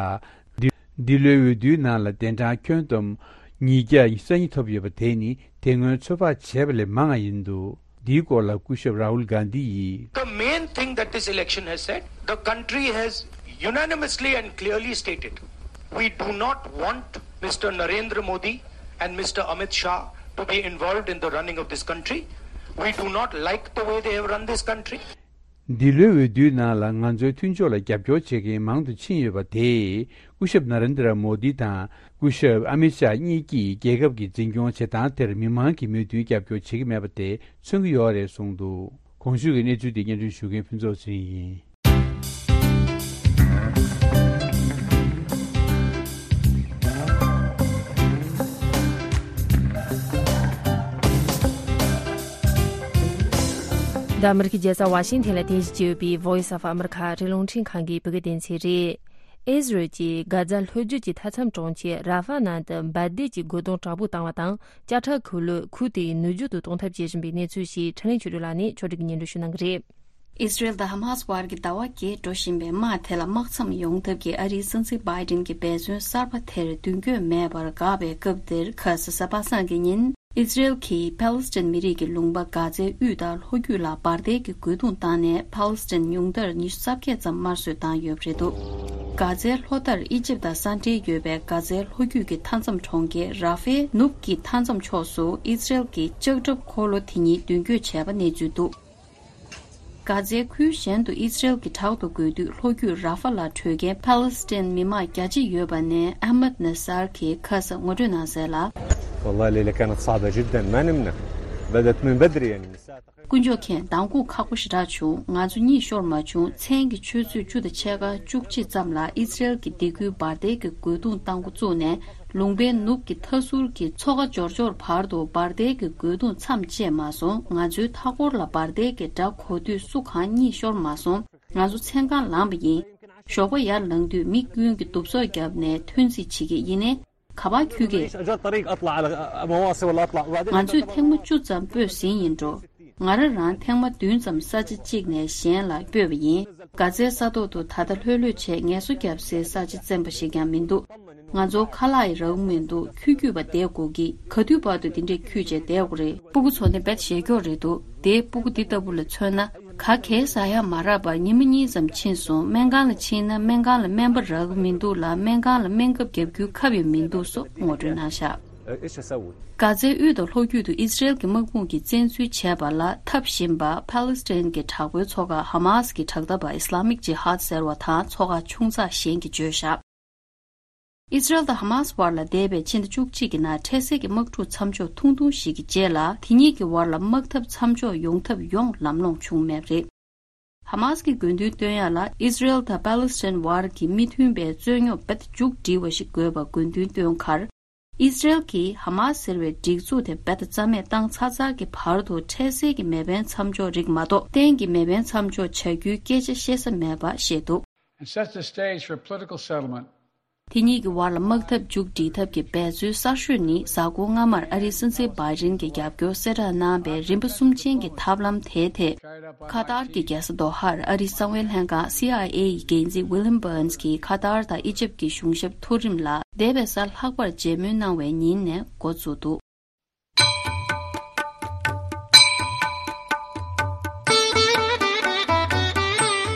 འདི་འདི་ལོའི་འོས་བསྡུའི་ནང་ལ་གདན་གྲངས་ཁྱོན་བསྡོམས་ཉིས་བརྒྱ་ཉི་ཤུ་རྩ་གཉིས་ཐོབ་ཡོད་པ་དེ་ནི་དེ་སྔོན་ཚོད་དཔག་བྱས་པ་ལས་མང་བ་ཡིན་འདུག་འདིའི་སྐོར་ལ་སྐུ་ཞབས་རཱ་ཧུལ་གྷན་དྷི་ཡིས། The main thing that this election has said, the country has unanimously and clearly stated, we do not want Mister Narendra Modi and Mister Amit Shah to be involved in the running of this country. We do not like the way they have run this country. འདི་ལོའི་འོས་བསྡུའི་ནང་ལ་ང་ཚོའི་མཐུན་ཕྱོགས་ལ་རྒྱབ་སྐྱོར་བྱེད་མཁན་མང་དུ་ཕྱིན་ཡོད་པ་དེས། སྐུ་ཞབས་ན་རེན་དྲ་མོ་དི་དང་སྐུ་ཞབས་ཨ་མི་ཤཱ་གཉིས་ཀྱིས་རྒྱལ་ཁབ་ཀྱི་འཛིན་སྐྱོང་བྱེད་སྟངས་དེར་མི་མང་གིས་མོས་མཐུན་རྒྱབ་སྐྱོར་བྱེད་ཀྱི་མེད་པ་དེ་མཚོན་གྱི་ཡོད་རེད་གསུངས་འདུག་གོང་ཞུས་ཀྱི་གནས་ཚུལ་དེ་སྙན་སྒྲོན་ཞུ་མཁན་ཕུན་ཚོགས་ཚེ་རིང་ཡིན། འདི་ཨ་མི་རི་ཀའི་རྒྱལ་ས་ཝ་ཤིང་ཐན་ལ་རྟེན་གཞི་བྱས་ཡོད་པའི་Voice of America ཨ་རིའི་རླུང་འཕྲིན་ཁང་གི་བོད་སྐད་སྡེ་ཚན་རེད། ཨི་ཟི་རལ་གྱིས་གྷ་ཛ་ལྷོ་རྒྱུད་ཀྱི་མཐའ་མཚམས་གྲོང་ཁྱེར་ར་ཧྥ་ནང་དུ་འབར་མདེལ་གྱི་རྒོལ་རྡུང་དྲག་པོ་བཏང་བ་དང་། ཅ་ཁྲ་ཁུལ་ལོ་ཁུལ་དེའི་ནུབ་རྒྱུད་དུ་གཏོང་ཐབས་བྱེད་བཞིན་པའི་གནས་ཚུལ་ཞིག་འཕྲིན་ལས་ཆོས་སྒྲོན་ལགས་ནས་ཕྱོགས་སྒྲིག་གིས་སྙན་སྒྲོན་ཞུ་གནང་གི་རེད། ཨི་ཟི་རལ་དང་ཧ་མ་སི་བར་གྱི་ཟླ་བ་བརྒྱད་འགྲོ་བཞིན་པའི་དམག་དེ་ལ་དམག་མཚམས་ཡོང་ཐབས་ཀྱི་ཨ་རིའི་སྲིད་འཛིན་བྷའི་ཌེན་གྱི་འབད་བརྩོན་གསར་པ་དེར་མདུན་སྐྱོད་མེད་པར་འགག་པའི་སྐབས་འདིར། ཁ་སང་གཟའ་པ་སངས་ཀྱི་ཉིན། ཨི་ཟི་རལ་གྱིས་ཕཱ་ལེ་སི་ཐན་མི་རིགས་ཀྱི་ལུང་པ་གྷ་ཛའི་དབུས་དང་ལྷོ་རྒྱུད་ལ་འབར་མདེལ་གྱི་རྒོལ་རྡུང་བཏང་ནས། ཕཱ་ལེ་སི་ཐན་ཉུང་མཐར་ཉི་ཤུ་རྩ་བརྒྱད་ཙམ་དམར་གསོད་བཏང་ཡོད་པ་རེད་འདུག་གྷ་ཛའི་ལྷོ་མཐར་ཨི་ཇིབ་དང་ས་འབྲེལ་ཡོད་པའི་གྷ་ཛའི་ལྷོ་རྒྱུད་ཀྱི་མཐའ་མཚམས་གྲོང་ཁྱེར་ར་ཧྥེ་ནུབ་ཀྱི་མཐའ་མཚམས་ཕྱོགས་སུ་ཨི་སི་རེལ་གྱི་ལྕགས་ཁྲབ་འཁོར་ལོ་དེ་གཉིས་མདུན་སྐྱོད་བྱས་པ་གནས་ཚུལ་འདུག་གྷ་ཛའི་ཁུལ་གཞན་དུ་ཨི་སི་རེལ་གྱི་བྲག་ཏུ་འགོས་དུས་ལྷོ་རྒྱུད་ར་ཧྥ་ལ་བྲོས་མཁན་ཕཱ་ལེ་སི་ཐན་མི་མང་བརྒྱ་གཅིག་ཡོད་པ་ནས་ཨ་མད་ན་སར་གྱིས་ཁ་ས་ངོ་སྤྲོད་གནང་གསལ་ལ། والله الليلة كانت صعبة جدا، ما نمنا. بدت من بدري، يعني، من الساعة تقريبا. དཀོན་མཆོག་མཁྱེན། མདང་དགོང་ཁག་པོ་ཞེ་དྲག་བྱུང་། ང་ཚོ་གཉིད་ཤོར་མ་བྱུང་། མཚན་གྱི་ཆུ་ཚོད་བཅུ་དང་ཕྱེད་ཀ་བཅུ་གཅིག་ཙམ་ལ་ཨི་སི་རེལ་གྱི་སྡེ་ཁུལ་འབར་མདེལ་གྱི་རྒོལ་རྡུང་བཏང་འགོ་བཙུགས་ནས། ལུང་པའི་ནུབ་ཀྱི་མཐའ་ཟུར་གྱི་མཚོ་ཁ་འབྱོར་འབྱོར་བར་དུ་འབར་མདེལ་གྱི་རྒོལ་རྡུང་མཚམས་བཅད་མ་སོང་། ང་ཚོའི་མཐའ་འཁོར་ལ་འབར་མདེལ་གྱི་སྒྲ་གོ་དུས་སུ་གང་གཉིད་ཤོར་མ་སོང་། ང་ཚོ་མཚན་གང་ལངས་པ་ཡིན། ཞོགས་པ་ཡར་ལངས་དུས་མི་ཀུན་གྱིས་གདུབ་སོག་བརྒྱབ་ནས་ཐོན་རྩིས་བྱེད་ཀྱི་ཡིན་ནའི། ག་པར་འཁྱུད་ཀྱི། ང་ཚོས་ཐེངས་མ་བཅུ་ཙམ་སྤོས་ཟིན་ཡིན་འགྲོ། ང་རང་རང་ཐེངས་མ་བདུན་ཙམ་ས་ཆ་གཅིག་ནས་གཞན་ལ་སྤོས་པ་ཡིན། གྷ་ཛའི་ས་ཐོག་ཏུ་ད་ལྟ་ལྷོད་ལྷོད་བྱས་ངལ་གསོ་བརྒྱབ་སའི་ས་ཆ་བཙན་པ་ཞིག་ཀྱང་མི་འདུག་ང་ཚོར་ཁ་ལག་ཡང་རག་གི་མི་འདུག་ཁྱུ་ཁྱུད་པ་བསྡད་དགོས་ཀྱི། ག་དུས་བར་དུ་འདི་འདྲས་ཁྱུད་བྱས་བསྡད་དགོས་རེད། སྤུ་གུ་ཚོ་ནི་རྦད་ཞེ་སྐྱོ་རེད་འདུག་དེའི་སྤུ་གུ་འདི་ལྟ་བུ་ལ་མཚོན་ན། ག་གེ་ཟ་ཡག་མ་རག་པར་ཉི་མ་གཉིས་ཙམ་ཕྱིན་སོང་། སྨན་ཁང་ལ་ཕྱིན་ན་སྨན་ཁང་ལ་སྨན་པ་རག་གི་མི་འདུག་ལ། སྨན་ཁང་ལ་སྨན་ཁབ་བརྒྱབ་རྒྱུའི་ཁབ་ཡང་མི་འདུག་སོགས་ངོ་སྤྲོད་གནང་བཞག་གྷ་ཛའི་དབུས་དང་ལྷོ་རྒྱུད་དུ་ཨི་སི་རེལ་གྱི་དམག་དཔུང་གིས་བཙན་འཛུལ་བྱས་པ་ལ་འཐབ་བཞིན་པ་ཕཱ་ལེ་སི་ཐན་གྱི་དྲག་པོའི་ཚོགས་ཁག་ཧ་མཱ་སི་ཀྱི་དྲག་འཐབ་པ་ཨི་སི་ལ་མིག་ཇི་ཧཱད་ཟེར་བ་དང་ཚོགས་ཁག་ཆུང་ཙག་གཞན་གྱིས་བརྗོད་བཞག་ཨི་སི་རེལ་དང་ཧ་མཱ་སི་བར་ལ་འདས་པའི་ཕྱི་ཟླ་བཅུ་གཅིག་གི་ནང་འཕྲལ་སེལ་གྱི་དམག་འཁྲུག་མཚམས་འཇོག་ཐུང་ཐུང་ཞིག་གི་རྗེས་ལ། དེ་གཉིས་ཀྱི་བར་ལ་དམག་འཐབ་མཚམས་འཇོག་ཡོང་ཐབས་ཡོང་ལམ་ལྷོང་བྱུང་མེད་པ་རེད། ཧ་མཱ་སི་ཀྱིས་དགོས་འདུན་བཏོན་ཡག་ལ་ཨི་སི་རེལ་དང་པཱ་ལེ་སི་ཐན་བར་གྱི་མི་མཐུན་པའི་རྩོད་རྙོག་རྦད་མཇུག་སྒྲིལ་བ་ཞིག་དགོས་པར་དགོས་འདུན་བཏོན་ཁར། ཨི་སི་རེལ་གྱིས་ཧ་མཱ་སི་ཟེར་བའི་སྒྲིག་འཛུགས་དེ་རྦད་དེ་རྩ་མེད་བཏང་ཚར་ཚར་གྱི་བར་དུ་འཕྲལ་སེལ་གྱི་མེ་འཕེན་མཚམས་འཇོག་རིགས་མ་གཏོགས་གཏན་གྱི་མེ་འཕེན་མཚམས་འཇོག་བྱ་རྒྱུའི་སྐད་ཆ་བཤད་ས་མེད་པ་བཤད་འདུག And sets the stage for political settlement. དེ་གཉིས་ཀྱི་བར་ལ་དམག་འཐབ་མཇུག་སྒྲིལ་ཐབས་ཀྱི་འབད་རྩོལ་གསར་ཤོས་ནི། གཟའ་འཁོར་སྔ་མར་ཨ་རིའི་སྲིད་འཛིན་བྷའི་ཌེན་གྱི་རྒྱབ་སྐྱོར་གསལ་བསྒྲགས་གནང་བའི་རིམ་པ་གསུམ་ཅན་གྱི་ཐབས་ལམ་དེའི་ཐད། ཁ་ཏར་གྱི་རྒྱལ་ས་དོ་ཧར་ཨ་རིའི་གསང་བའི་ལྷན་ཁང་སི་ཨའི་ཨེ་ཡི་འགན་འཛིན་ཝི་ལིམ་བྷར་ནས་ཀྱིས་ཁ་ཏར་དང་ཨི་ཇིབ་ཀྱི་གཞུང་ཞབས་མཐོ་རིམ་ལ་འདས་པའི་གཟའ་ལྷག་པར་མཇལ་མོལ་གནང་བའི་ཉིན་ནས་འགོ་བཙུགས་འདུག་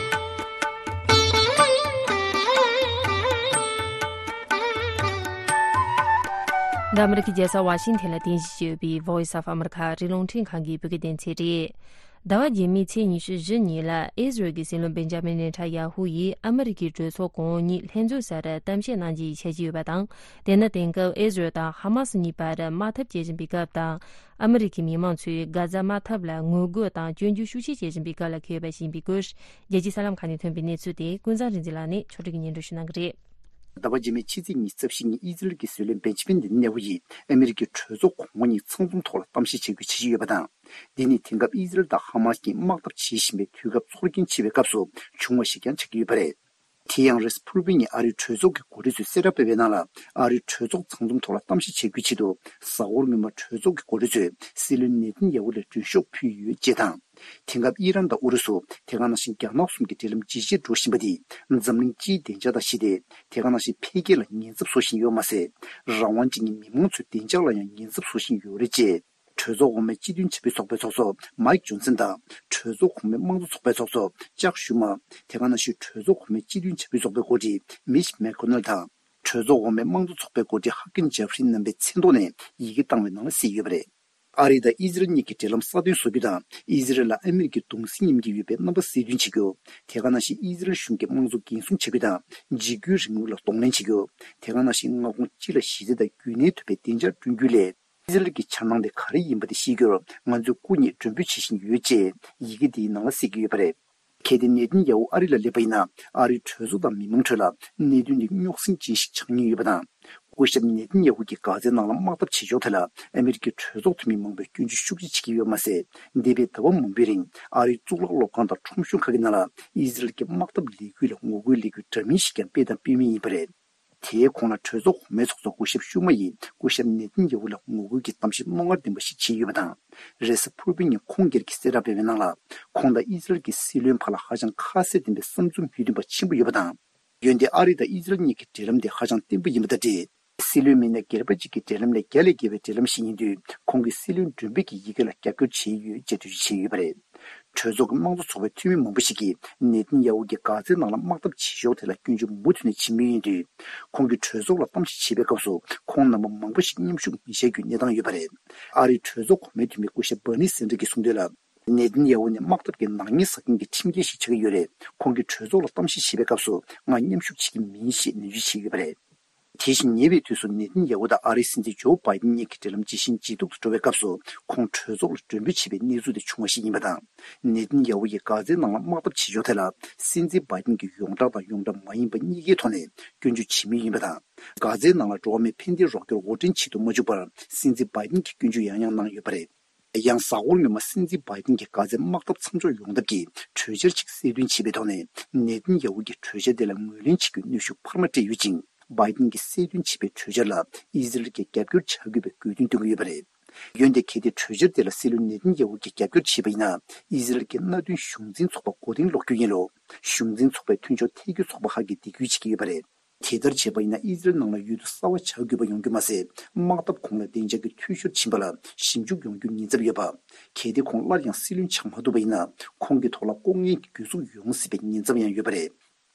འདི་ཨ་མི་རི་ཀའི་རྒྱལ་ས་ཝ་ཤིང་ཐན་ལ་རྟེན་གཞི་བྱས་ཡོད་པའི་Voice of America ཨ་རིའི་རླུང་འཕྲིན་ཁང་གི་བོད་སྐད་སྡེ་ཚན་རེད། ཟླ་བ་རྗེས་མའི་ཚེས་ཉི་ཤུ་བཞི་ཉིན་ལ་ཨི་ཟི་རལ་གྱི་སྲིད་བློན་བེན་ཇ་མིན་ནེ་ཐན་ཡ་ཧུ་ཡིས་ཨ་མི་རི་ཀའི་གྲོས་ཚོགས་གོང་འོག་གཉིས་ལྷན་འཛོམས་སར་གཏམ་བཤད་གནང་རྒྱུའི་འཆར་གཞི་ཡོད་པ་དང་། དེ་ནི་དེང་སྐབས་ཨི་ཟི་རལ་དང་ཧ་མ་སི་གཉིས་བར་དམག་འཐབ་བྱེད་བཞིན་པའི་སྐབས་དང་། ཨ་མི་རི་ཀའི་མི་མང་ཚོས་གྷ་ཛ་དམག་འཐབ་ལ་ངོ་རྒོལ་དང་སྐྱོན་བརྗོད་ཤུགས་ཆེ་བྱེད་བཞིན་པའི་སྐབས་ལ་འཁེལ་བ་ཞིག་ཡིན་པའི་སྐོར། རྒྱལ་སྤྱིའི་གསར་ལམ་ཁག་ནས་ཐོན་པའི་གནས་ཚུལ་དེ་ཀུན་བཟང་རིག་འཛིན་ལགས་ནས་ཕྱོགས་སྒྲིག་གིས་སྙན་སྒྲོན་ཞུ་གནང་གི་རེད། ཟླ་བ་རྗེས་མའི་ཕྱི་ཚེས་ཉི་ཤུ་རྩ་བཞི་ཉིན་ཨི་ཟི་རལ་གྱི་སྲིད་བློན་བེན་ཇི་མིན་ནེ་ཐན་ཡ་ཧུ་ཡིས་ཨ་མི་རི་ཀའི་གྲོས་ཚོགས་གོང་འོག་གཉིས་ཚང་འཛོམས་ཐོག་ལ་གཏམ་བཤད་བྱེད་རྒྱུའི་འཆར་གཞི་ཡོད་པ་དང་། འདི་ནི་དེང་སྐབས་ཨི་ཟི་རལ་དང་ཧ་མ་སི་གཉིས་དམག་འཐབ་བྱེད་བཞིན་པའི་དུས་སྐབས་ཚོར་སྐྱེན་ཆེ་བའི་སྐབས་སུ་བྱུང་བ་ཞིག་ཀྱང་ཆགས་ཀྱི་ཡོད་པ་རེད། དེ་ཡང་རེས་ཕུར་བུའི་ཉིན་ཨ་རིའི་གྲོས་ཚོགས་ཀྱི་འགོ་ཁྲིད་ཚོས་གསལ་བསྒྲགས་སྤེལ་བའི་ནང་ལ། ཨ་རིའི་གྲོས་ཚོགས་ཚང་འཛོམས་ཐོག་ལ་གཏམ་བཤད་བྱེད་རྒྱུའི་ཆེད་དུ་གཟའ་འཁོར་སྔོན་མ་གྲོས་ཚོགས་ཀྱི་འགོ་ཁྲིད་ཚོས་སྲིད་བློན་ནེ་ཐན་ཡ་ཧུ་ལ་མགྲོན་ཤོག་ཕུལ་ཡོད་ཅེས་དང་། དེང་སྐབས་ཨི་རན་དང་ཨུ་རུ་སུ། དེ་ག་ནང་བཞིན་རྒྱ་ནག་གསུམ་གྱི་འབྲེལ་ལམ་ཇེ་ཆེར་འགྲོ་བཞིན་པ་འདིས་འཛམ་གླིང་སྤྱིའི་བདེ་འཇགས་དང་ཞི་བདེ། དེ་ག་ནང་བཞིན་འཕེལ་རྒྱས་ལ་ཉེན་ཚབས་བཟོ་བཞིན་ཡོད་མ་ཟད། རང་དབང་ཅན་གྱི་མི་མང་ཚོའི་བདེ་འཇགས་ལ་ཡང་ཉེན་ཚབས་བཟོ་བཞིན་ཡོད་རེད་ཅེས། གྲོས་ཚོགས་འོག་མའི་སྤྱི་མཐུན་བྱ་བའི་ཚོགས་པའི་ཚོགས་གཙོ་མའིག་ཇོན་སན་དང་། གྲོས་ཚོགས་གོང་མའི་དམངས་གཙོ་ཚོགས་པའི་ཚོགས་གཙོ་ཅག་ཤུ་མ། དེ་ག་ནང་བཞིན་གྲོས་ཚོགས་གོང་མའི་སྤྱི་མཐུན་བྱ་བའི་ཚོགས་པའི་འགོ་ཁྲིད་མིཆ་མེག་ཁོ་ནལ་དང་། གྲོས་ཚོགས་འོག་མའི་དམངས་གཙོ་ཚོགས་པའི་འགོ་ཁྲིད་ཧ་ཀིམ་ཇེ་ཧྥི་རི་རྣམ་པའི་མཚན་ཐོག་ནས་ཡི་གེ་བཏང་བའི་ནང་ལ་གསལ་ཡོད་པ་རེད། ཨ་རི་དང་ཨི་ཟི་རལ་གཉིས་ཀྱི་འབྲེལ་ལམ་སྲ་བརྟན་བཟོ་རྒྱུ་དང་། ཨི་ཟི་རལ་ལ་ཨ་མི་རི་ཀའི་གདུང་སེམས་མཉམ་སྐྱེད་ཡོད་པའི་རྣམ་པ་གསལ་སྟོན་བྱེད་རྒྱུ། དེ་ག་ནང་བཞིན་ཨི་ཟི་རལ་གཞུང་གི་དམངས་གཙོ་འགན་སྲུང་བྱ་རྒྱུ་དང་། འཇིགས་སྐུལ་རིང་ལུགས་ལ་གདོང་ལེན་བྱེད་རྒྱུ། དེ་ག་ནང་བཞིན་མངའ་ཁོངས་སྤྱི་ལ་གཞི་རྩ་དང་རྒྱུན་གནས་ཐུབ་པའི་བདེ་འཇགས་བསྐྲུན་རྒྱུའི་སླད། ཨི་ཟི་རལ་གྱི་འཆར་སྣང་དེ་ག་རེ་ཡིན་པ་དེ་ཤེས་རྒྱུར་ང་ཚོས་སྐུ་ཉིད་མགྲོན་འབོད་བྱེད་བཞིན་ཡོད་ཅེས་ཡི་གེ་དེའི་ནང་ལ་གསལ་གྱི་ཡོད་པ་རེད། གལ་ཏེ་ནེ་ཐན་ཡ་ཧུ་ཨ་རི་ལ་སླེབས་པ་ཡིན་ན། ཨ་རིའི་གྲོས་ཚོགས་དང་མི་མང་ཁྲོད་ལ་གནད་དོན་འདི་རྙོག་ཟིང་ཅན་ཞིག་ཆགས་ཉེན་ཡོད་པ་དང་། སྐུ་ཞབས་ནེ་ཐན་ཡ་ཧུ་གྱིས་གྷ་ཛའི་ནང་ལ་དམག་འཐབ་བྱེད་ཕྱོགས་ཐད་ལ་ཨ་མི་རི་ཀའི་གྲོས་ཚོགས་འཐུས་མི་མང་པོས་སྐྱོན་བརྗོད་ཤུགས་ཆེ་བྱེད་ཀྱི་ཡོད་མ་ཟད། འདས་པའི་ཟླ་བ་མང་པོའི་རིང་ཨ་རིའི་གཙུག་ལག་སློབ་ཁང་དང་ཁྲོམ་གཞུང་ཁག་གི་ནང་ལ་ཨི་ཟི་རལ་གྱི་དམག་འཐབ་ལས་འགུལ་ལ་ངོ་རྒོལ་ལས་འགུལ་འདྲ་མིན་ཞིག་ཀྱང་སྤེལ་དང་སྤེལ་མུས་ཡིན་པ་རེད། དེའི་གོང་ལ་གྲོས་ཚོགས་གོང་མའི་ཚོགས་གཙོ་སྐུ་ཞབས་ཤུ་མ་ཡིས་སྐུ་ཞབས་ནེ་ཐན་ཡ་ཧུ་ལ་ངོ་རྒོལ་གྱི་གཏམ་བཤད་རྣོ་ངར་ལྡན་པ་ཞིག་བྱས་ཡོད་པ་དང་། རེས་གཟའ་ཕུར་བུའི་ཉིན་ཁོང་སྒེར་གྱིས་གསལ་བསྒྲགས་སྤེལ་བའི་ནང་ལ། ཁོང་དང་ཨི་ཟི་རལ་གྱི་སྲིད་བློན་བར་ལ་ཧ་ཅང་ཁ་གསལ་ལྡན་པའི་བསམ་ཚུལ་མོས་མཐུན་པ་ཆེན་པོ་ཡོད་པ་དང་། འོན་ཏེ་ཨ་རི་དང་ཨི་ཟི་རལ་གཉིས་ཀྱི་འབྲེལ་ལམ་དེ་ཧ་ཅང་བརྟན་པོ་ཡིན་པ་དང་འབྲེལ། སྲིད་བློན་མི་སྣ་སྒེར་པ་གཅིག་གི་འབྲེལ་ལམ་ལས་རྒྱ་ལས་བརྒལ་བའི་འབྲེལ་ལམ་ཞིག་ཡིན་དུས། ཁོང་གིས་སྲིད་བློན་མགྲོན་འབོད་ཀྱི་ཡི་གེ་ལ་རྒྱབ་སྐྱོར་བྱས་ཡོད་ཅེས་འགྲེལ་བརྗོད་བྱས་ཡོད་པ་རེད། གྲོས་ཚོགས་ཀྱི་དམངས་གཙོ་ཚོགས་པའི་འཐུས་མི་མང་པོ་ཞིག་གིས་ནེ་ཐན་ཡ་ཧུ་གྱིས་གྷ་ཛའི་ནང་ལ་དམག་འཐབ་བྱེད་ཕྱོགས་དེ་ལ་སྐྱོན་བརྗོད་མུ་མཐུད་ནས་བྱེད་མུས་ཡིན་དུས། ཁོང་གིས་གྲོས་ཚོགས་ལ་གཏམ་བཤད་བྱེད་པའི་སྐབས་སུ་ཁོང་རྣམ་པ་མང་པོ་ཞིག་མཉམ་ཞུགས་མི་བྱེད་རྒྱུའི་གནས་སྟངས་ཡོད་པ་རེད། ཨ་རིའི་གྲོས་ཚོགས་གོང་མའི་འཐུས་མི་སྐུ་ཞབས་བྷར་ནི་སན་ཌར་གྱིས་གསུངས་དོན་ལ། ནེ་ཐན་ཡ་ཧུ་ནི་དམག་འཐབ་ཀྱི་ནག་ཉེས་བསགས་མཁན་གྱི་ཁྲིམས་འགལ་ཞིག་ཆགས་ཀྱི་ཡོད་རེད། ཁོང་གིས་གྲོས་ཚོགས་ལ་གཏམ་བཤད་བྱེད་པའི་སྐབས་སུ་ང་མཉམ་ཞུགས་བྱེད་ཀྱི་མིན་ཞེས་ནན་བརྗོད་བྱས་ཡོད་པ་རེད། དེ་བཞིན་ཉེ་བའི་དུས་སུ་ནེ་ཐན་ཡ་ཧུ་དང་ཨ་རིའི་སྲིད་འཛིན་ཇོ་བྷའི་ཏིན་གཉིས་ཀྱི་འབྲེལ་ལམ་ཇི་བཞིན་ཇེ་སྡུག་ཏུ་འགྲོ་བའི་སྐབས་སུ་ཁོང་གྲོས་ཚོགས་ལ་མགྲོན་འབོད་བྱེད་པའི་གནས་ཚུལ་དེ་བྱུང་བ་ཞིག་ཡིན་པ་དང་། ནེ་ཐན་ཡ་ཧུ་ཡིས་གྷ་ཛའི་ནང་ལ་དམག་འཐབ་བྱེད་ཕྱོགས་དེ་ལ་སྲིད་འཛིན་བྷའི་ཏིན་གྱིས་ཡོངས་གྲགས་དང་ཡོངས་གྲགས་མ་ཡིན་པ་གཉིས་ཀའི་ཐོག་ནས་སྐྱོན་བརྗོད་བྱེད་མུས་ཡིན་པ་དང་། གྷ་ཛའི་ནང་ལ་འགྲོ་བ་མིའི་ཕན་བདེའི་རོགས་སྐྱོར་དབོར་འདྲེན་བྱེད་དུ་མ་བཅུག་པར་སྲིད་འཛིན་བྷའི་ཏིན་གྱིས་སྐྱོན་བརྗོད་ཡང་ཡང་གནང་ཡོད་པ་རེད། ཡང་གཟའ་འཁོར་སྔོན་མ་སྲིད་འཛིན་བྷའི་ཏིན་གྱིས་གྷ་ཛའི་དམག་འཐབ་མཚམས་འཇོག་ཡོང་ཐབས་ཀྱི་གྲོས་འཆར་ཅིག་གསལ་སྟོན་བྱས་པའི་ཐོག་ནས་ནེ་ཐན་ཡ་ཧུ་གྱིས་གྲོས་འཆར་དེ་ལ་ངོས་ལེན་བྱེད་རྒྱུའི་གནོན་ཤུགས་འཕར་མ་སྤྲད་ཡོད་ཅིང་། བྷའི་ཏིན་གྱིས་གསལ་སྟོན་བྱས་པའི་གྲོས་འཆར་ལ་ཨི་ཟི་རལ་གྱིས་རྒྱབ་སྐྱོར་བྱ་དགོས་པའི་དགོས་འདུན་བཏོན་གྱི་ཡོད་པ་རེད། འོན་ཏེ་གལ་ཏེ་གྲོས་འཆར་དེ་ལ་སྲིད་བློན་ནེ་ཐན་ཡ་ཧུ་གྱིས་རྒྱབ་སྐྱོར་བྱས་པ་ཡིན་ན། ཨི་ཟི་རལ་གྱི་མནའ་མཐུན་གཞུང་འཛིན་ཚོགས་པ་མགོ་རྟིང་སློག་རྒྱུ་ཡིན་ལུགས་གཞུང་འཛིན་ཚོགས་པའི་མཐུན་ཕྱོགས་ཐེ་གུ་ཚོགས་པ་ཁག་གིས་འདེད་སྐུལ་བྱེད་ཀྱི་ཡོད་པ་རེད། དེ་ལྟར་བྱས་པ་ཡིན་ན་ཨི་ཟི་རལ་ནང་ལ་ཡུལ་དུ་གསར་པ་ཆགས་དགོས་པ་ཡོང་རྒྱུ་མ་ཟད། དམག་འཐབ་གོང་ལ་བདེ་འཇགས་ཀྱི་འཐུས་ཤོར་ཕྱིན་པ་ལ་ཞིབ་འཇུག་ཡོང་རྒྱུའི་ཉེན་ཚབས་ཡོད་པ། གལ་ཏེ་ཁོང་སླར་ཡང་སྲིད་བློན་ཆགས་མ་ཐུབ་པ་ཡིན་ན། ཁོང་གི་ཐོག་ལ་ལྐོག་རྔན་གྱི་གྱོད་གཟུགས་ཡོང་སྲིད་པའི་ཉེན་ཚབས་ཡང་ཡོད་པ་རེད།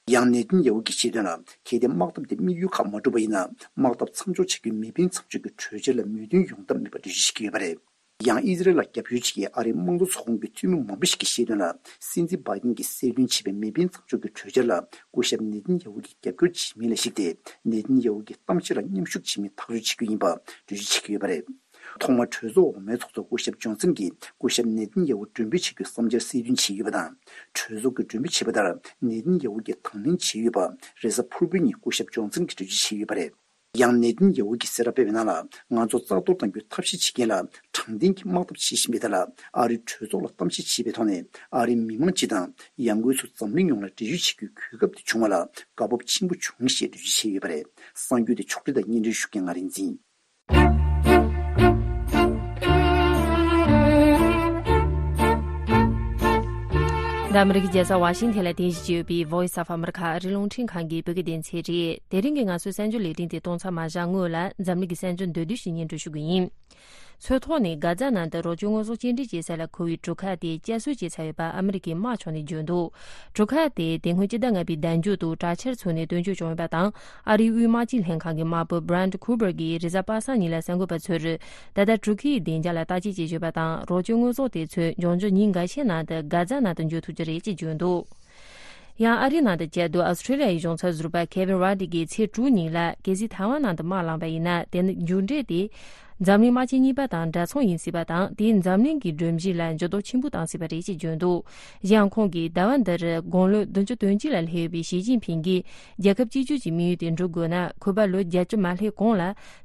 ཡང་ནེ་ཐན་ཡ་ཧུ་གྱིས་བཤད་དོན་ལ། གལ་ཏེ་དམག་འཐབ་དེ་དམིགས་ཡུལ་ཁག་མ་འགྲུབ་པ་ཡིན་ན། དམག་འཐབ་མཚམས་འཇོག་བྱ་རྒྱུའི་མེ་འཕེན་མཚམས་འཇོག་གི་གྲོས་འཆར་ལ་མོས་མཐུན་ཡོང་ཐབས་མེད་པར་འགྲེལ་བརྗོད་བྱེད་ཀྱི་ཡོད་པ་རེད། ཡང་ཨི་ཟི་རལ་ལ་རྒྱབ་སྐྱོར་བྱེད་མཁན་ཨ་རིའི་དམངས་གཙོ་ཚོགས་ཁོངས་ཀྱི་འཐུས་མི་མང་པོ་ཞིག་གིས་བཤད་དོན་ལ། སྲིད་འཛིན་བྷའི་ཏིན་གྱིས་གསལ་སྟོན་བྱས་པའི་མེ་འཕེན་མཚམས་འཇོག་གི་གྲོས་འཆར་ལ་སྐུ་ཞབས་ནེ་ཐན་ཡ་ཧུ་གྱིས་རྒྱབ་སྐྱོར་བྱེད་མིན་ལ་གཞིགས་ཏེ། ནེ་ཐན་ཡ་ཧུ་གྱིས་གཏམ་བཤད་ལ་མཉམ་ཞུགས་བྱེད་མིན་ཐག་གཅོད་བྱེད་རྒྱུ་ཡིན་པ་འགྲེལ་བརྗོད་བྱེད་ཀྱི་ཡོད་པ་རེད། ཐོག་མར་གྲོས་ཚོགས་འོག་མའི་ཚོགས་གཙོ་སྐུ་ཞབས་ཇོན་སན་གྱིས་སྐུ་ཞབས་ནེ་ཐན་ཡ་ཧུ་མགྲོན་འབོད་བྱེད་རྒྱུའི་བསམ་འཆར་གསལ་སྟོན་བྱས་ཡོད་པ་དང་། གྲོས་ཚོགས་ཀྱིས་མགྲོན་འབོད་བྱས་པ་ལྟར་ནེ་ཐན་ཡ་ཧུ་གྱིས་དང་ལེན་བྱས་ཡོད་པ་རེས་གཟའ་ཕུར་བུའི་ཉིན་སྐུ་ཞབས་ཇོན་སན་གྱིས་འགྲེལ་བརྗོད་བྱས་ཡོད་པ་རེད། ཡང་ནེ་ཐན་ཡ་ཧུ་གྱིས་གསལ་བསྒྲགས་སྤེལ་བའི་ནང་ལ། ང་ཚོ་རྩ་གཏོར་གཏང་རྒྱུའི་ཐབས་ཤེས་བྱེད་མཁན་ལ་དྲང་བདེན་གྱི་དམག་འཐབ་བྱེད་བཞིན་པའི་ཐད་ལ་ཨ་རིའི་གྲོས་ཚོགས་ལ་གཏམ་བཤད་བྱས་པའི་ཐོག་ནས་ཨ་རིའི་མི་མང་སྤྱི་དང་ཡང་སྒོས་སུ་འཛམ་གླིང་ཡོངས་ལ་འགྲེལ་བརྗོད་བྱེད་རྒྱུའི་གོ་སྐབས་དེ་བྱུང་བ་ལ་དགའ་སྤོབས་ཆེན་པོ་བྱུང་ཞེས་འགྲེལ་བརྗོད་བྱས་ཡོད་པ་རེད། གསར་འགྱུར་དེ་ཕྱོགས་སྒྲིག་དང་སྙན་སྒྲོན་ཞུ་མཁན་ང་རིག་འཛིན། འདི་ཨ་མི་རི་ཀའི་རྒྱལ་ས་ཝ་ཤིང་ཐན་ལ་རྟེན་གཞི་བྱས་ཡོད་པའི་Voice of America ཨ་རིའི་རླུང་འཕྲིན་ཁང་གི་བོད་སྐད་སྡེ་ཚན་རེད། དེ་རིང་གི་ང་ཚོའི་གསར་འགྱུར་ལས་རིམ་དེ་གཏོང་མཚམས་མ་བཞག་སྔོན་ལ། འཛམ་གླིང་གི་གསར་འགྱུར་མདོར་བསྡུས་ཤིག་སྙན་སྒྲོན་ཞུ་གི་ཡིན། མཚོ་ཐོག་ནས་གྷ་ཛ་ནང་དུ་རོགས་སྐྱོར་དངོས་ཟོག་སྐྱེལ་འདྲེན་བྱེད་ས་ལ་འཁོར་བའི་གྲུ་ཁ་དེ་བསྐྱར་གསོ་བྱས་ཚར་ཡོད་པ་ཨ་མི་རི་ཀའི་དམག་ཕྱོགས་ནས་བརྗོད་འདུག་གྲུ་ཁ་དེ་དེ་སྔོན་སྤྱི་ཟླ་ལྔ་པའི་ཟླ་མཇུག་ཏུ་དྲག་ཆར་ཚུགས་ནས་བཏོན་བཅོས་བྱུང་ཡོད་པ་དང་། ཨ་རིའི་དབུས་དམག་སྤྱི་ལྷན་ཁང་གི་དམར་པོ་Brad Cooper གྱིས་རེས་གཟའ་པ་སངས་ཉིན་ལ་གསར་འགོད་པ་ཚོར། ད་ལྟ་གྲུ་ཁའི་བདེ་འཇགས་ལ་བརྟག་དཔྱད་བྱེད་བཞིན་པ་དང་། རོགས་སྐྱོར་དངོས་ཟོག་དེ་ཚོས་འབྱུང་འགྱུར་ཉིན་འགའ་ཤས་ནང་དུ་གྷ་ཛ་ནང་དུ་འབྱོར་ཐུབ་རྒྱུ་རེད་ཅེས་བརྗོད་འདུག་ཡང་ཨ་རིའི་ནང་དུ་བཅའ་སྡོད་ཨོ་སི་ཁྲེ་ལི་ཡའི་གཞུང་ཚབ་ཟུར་པ་Kevin Rudd གིས་ཚེས་དྲུག་ཉིན་ལ། གལ་སྲིད་ཐའེ་ཝན་ནང་དུ་དམག་ལངས་པ་ཡིན་ན། དེ་ནི་མཇུག་འབྲས་དེ་འཛམ་གླིང་དམག་ཆེན་གཉིས་པ་དང་འདྲ་མཚུངས་ཡིན་སྲིད་པ་དང་། དེས་འཛམ་གླིང་གི་སྒྲོམ་གཞི་ལ་འགྱུར་ལྡོག་ཆེན་པོ་བཏང་སྲིད་པ་རེད་ཅེས་བརྗོད་འདུག་གཞན་ཡང་ཁོང་གིས་ཟླ་བ་འདིར་དགུང་ལོ་བདུན་ཅུ་དོན་གཅིག་ལ་སླེབས་ཡོད་པའི་ཞི་ཅིན་ཕིང་གིས་རྒྱལ་ཁབ་གཅིག་གྱུར་གྱི་དམིགས་ཡུལ་དེ་འགྲུབ་དགོས་ན། ཁོས་ཕར་ལོ་བརྒྱད་ཅུ་མ་སླེབས་གོང་ལ་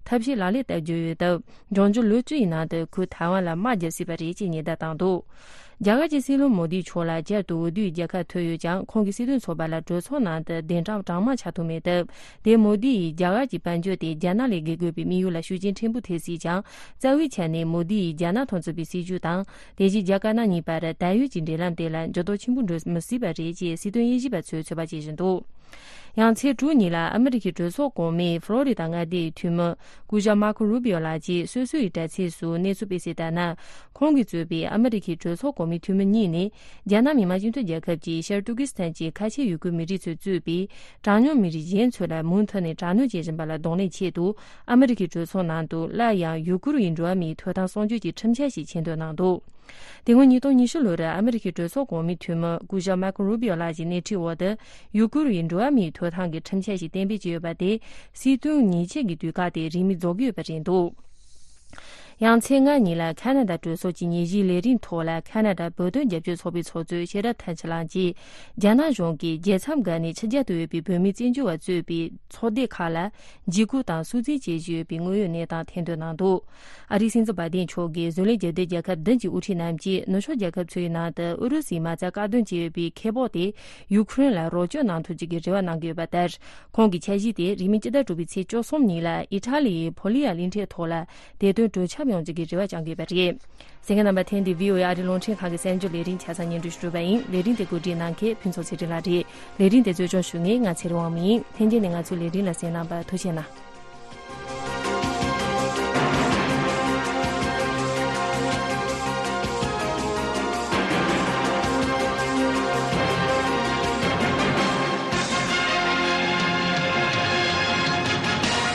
ཐབས་ཤེས་ལག་ལེན་བསྟར་རྒྱུ་ཡོད་སྟབས། འབྱུང་འགྱུར་ལོ་བཅུ་ཡི་ནང་དུ་ཁོས་ཐའེ་ཝན་ལ་དམག་རྒྱག་སྲིད་པ་རེད་ཅེས་ཉེན་བརྡ་བཏང་འདུག་རྒྱ་གར་གྱི་སྲིད་བློན་མོ་དིའི་ཕྱོགས་ལ་བསྐྱར་དུ་འོས་བསྡུའི་རྒྱལ་ཁ་ཐོབ་ཡོད་ཀྱང་། ཁོང་གིས་སྲིད་དོན་ཚོགས་པ་ལ་གྲོས་ཚོགས་ནང་དུ་གདན་དྲངས་གྲངས་མང་ཆགས་ཐུབ་མེད་སྟབས། དེས་མོ་དི་ཡིས་རྒྱ་གར་གྱི་དཔལ་འབྱོར་དེ་རྒྱ་ནག་ལས་བརྒལ་དགོས་པའི་དམིགས་ཡུལ་ལ་ཤུགས་རྐྱེན་ཕྲན་བུ་ཐེབས་སྲིད་ཀྱང་། རྩ་བའི་ཆ་ནས་མོ་དི་ཡིས་རྒྱ་ནག་དང་མཚུངས་པའི་སྲིད་ཇུས་དང་། དེ་བཞིན་རྒྱ་དཀར་ནག་གཉིས་བར་ད་ཡོད་ཀྱི་འབྲེལ་ལམ་དེ་ལ་འགྱུར་ལྡོག་ཆེན་པོ་འགྲོ་མི་སྲིད་པ་རེད་ཅེས་སྲིད་དོན་དབྱེ་ཞིབ་པ་ཚོས་ཚོད་དཔག་བྱེད་བཞིན་འདུག་ཡང་ཚེས་དྲུག་ཉིན་ལ་ཨ་མི་རི་ཁའི་གྲོས་ཚོགས་གོང་མའི་ཕློ་རི་ད་མངའ་སྡེའི་འཐུས་མི་སྐུ་ཞབས་མར་ཁོ་རུ་བྷི་ཡོ་ལགས་ཀྱིས་སོ་སོ་ཡི་དྲ་ཚིགས་སུ་གནས་ཚུལ་སྤེལ་གསལ་ལྟར་ན། ཁོང་གིས་གཙོས་པའི་ཨ་མི་རི་ཁའི་གྲོས་ཚོགས་གོང་མའི་འཐུས་མི་གཉིས་ནི། རྒྱ་ནག་མི་དམངས་སྤྱི་མཐུན་རྒྱལ་ཁབ་ཀྱི་ཤར་ཏུར་ཀི་སི་ཐན་གྱི་ཁ་ཆེ་ཡུ་གུར་མི་རིགས་ཚོས་གཙོས་པའི་གྲངས་ཉུང་མི་རིགས་གཞན་ཚོ་ལ་མུ་མཐུད་ནས་དྲག་གནོན་བྱེད་བཞིན་པ་ལ་གདོང་ལེན་ཆེད་དུ། ཨ་མི་རི་ཁའི་གྲོས་ཚོགས་ནང་དུ་སླར་ཡང་ཡུ་གུར་ཡི་འགྲོ་བ་མིའི་ཐོབ་ཐང་སྲུང་སྐྱོབ་ཀྱི་ཁྲིམས་འཆར་ཞིག་མཁྱེན་འདོན་གནང་འདུག་དེ་སྔོན་ཉིས་སྟོང་ཉི་ཤུ་ལོར་ཨ་མི་རི་ཁའི་གྲོས་ཚོགས་གོང་མའི་འཐུས་མི་སྐུ་ཞབས་མར་ཁོ་རུ་བྷི་ཡོ་ལགས་ཀྱི་སྣེ་ཁྲིད་འོག་ཏུ་ཡུ་གུར་ཡི་འགྲོ་བ་མིའི་ཐོབ་ཐང་གི་ཁྲིམས་འཆར་ཞིག་གཏན་འབེབས་བྱས་ཡོད་པ་དེ། སྲིད་དོན་ཉེས་ཆད་ཀྱི་དུས་བཀག་དེ་རིང་མིན་རྫོགས་ཀྱི་ཡོད་པ་རེད་འདུག་ཡང་ཚེས་ལྔ་ཉིན་ལ་ཁ་ན་ཌ་གྲོས་ཚོགས་ཀྱི་ཉིན་བཞིའི་ལས་རིམ་ཐོག་ལ། ཁ་ན་ཌ་བོད་དོན་རྒྱབ་སྐྱོར་ཚོགས་པའི་ཚོགས་གཙོ་ཤེས་རབ་ཐར་ཆེན་ལགས་ཀྱིས། རྒྱ་ནག་གཞུང་གིས་རྒྱལ་མཚམས་བརྒལ་ནས་ཕྱི་རྒྱལ་དུ་ཡོད་པའི་བོད་མིའི་བཙན་བྱོལ་བ་གཙོས་པའི་ཚོགས་སྡེ་ཁག་ལ། འཇིགས་སྐུལ་དང་སུན་གཙེར་བྱེད་བཞིན་ཡོད་པའི་དངོས་ཡོད་གནས་སྟངས་ཐེར་འདོན་གནང་འདུག་ཨ་རིའི་སྲིད་འཛིན་བྷའི་ཏིན་མཆོག་གིས་བཟོ་ལས་རྒྱལ་སྡོད་རྒྱལ་ཁབ་བདུན་གྱི་དབུ་ཁྲིད་རྣམས་ཀྱིས་ནུབ་ཕྱོགས་རྒྱལ་ཁབ་ཚོའི་ནང་དུ་ཨུ་རུ་སུའི་མ་རྩ་བཀག་སྡོམ་བྱས་ཡོད་པའི་ཁེ་སྤོགས་དེ་ཡུ་ཁུ་རེན་ལ་རོགས་སྐྱོར་གནང་ཐུབ་རྒྱུ་གི་རེ་བ་གནང་གི་ཡོད་པ་ལྟར། ཁོང་གི་འཆར་གཞི་དེ་རིང་མིན་སྤྱི་ཟླ་དྲུག་པའི་ཚེས་བཅུ་གསུམ་ཉིན་ལ་ཨི་ཊ་ལི་ཡི་ཕོ་ལི་ཡ་གླིང་ཕྲན་ཐོག་ལ་བདེ་དོན་གྲོས་འཆམ་ཡོང་རྒྱུ་གི་རེ་བ་བཅངས་ཀྱི་ཡོད་པ་རེད། གསན་མཁན་རྣམ་པ། ཐེངས་འདིའི་བྷི་ཨོ་ཨེ་ཨ་རིའི་རླུང་འཕྲིན་ཁང་གི་གསར་འགྱུར་ལས་རིམ་ཆ་ཚང་སྙན་སྒྲོན་ཞུ་གྲུབ་པ་ཡིན། ལས་རིམ་དེ་གོ་སྒྲིག་གནང་མཁན་ཕུན་ཚོགས་ཚེ་རིང་ལགས་རེད། ལས་རིམ་དེ་གཙོ་སྐྱོང་ཞུ་མཁན་ང་ཚེ་རིང་དབང་མོ་ཡིན། ལྷན་རྒྱས་ནས་ང་ཚོའི་ལས་རིམ་ལ་གསན་གནང་བར་ཐུགས་རྗེ་གནང་།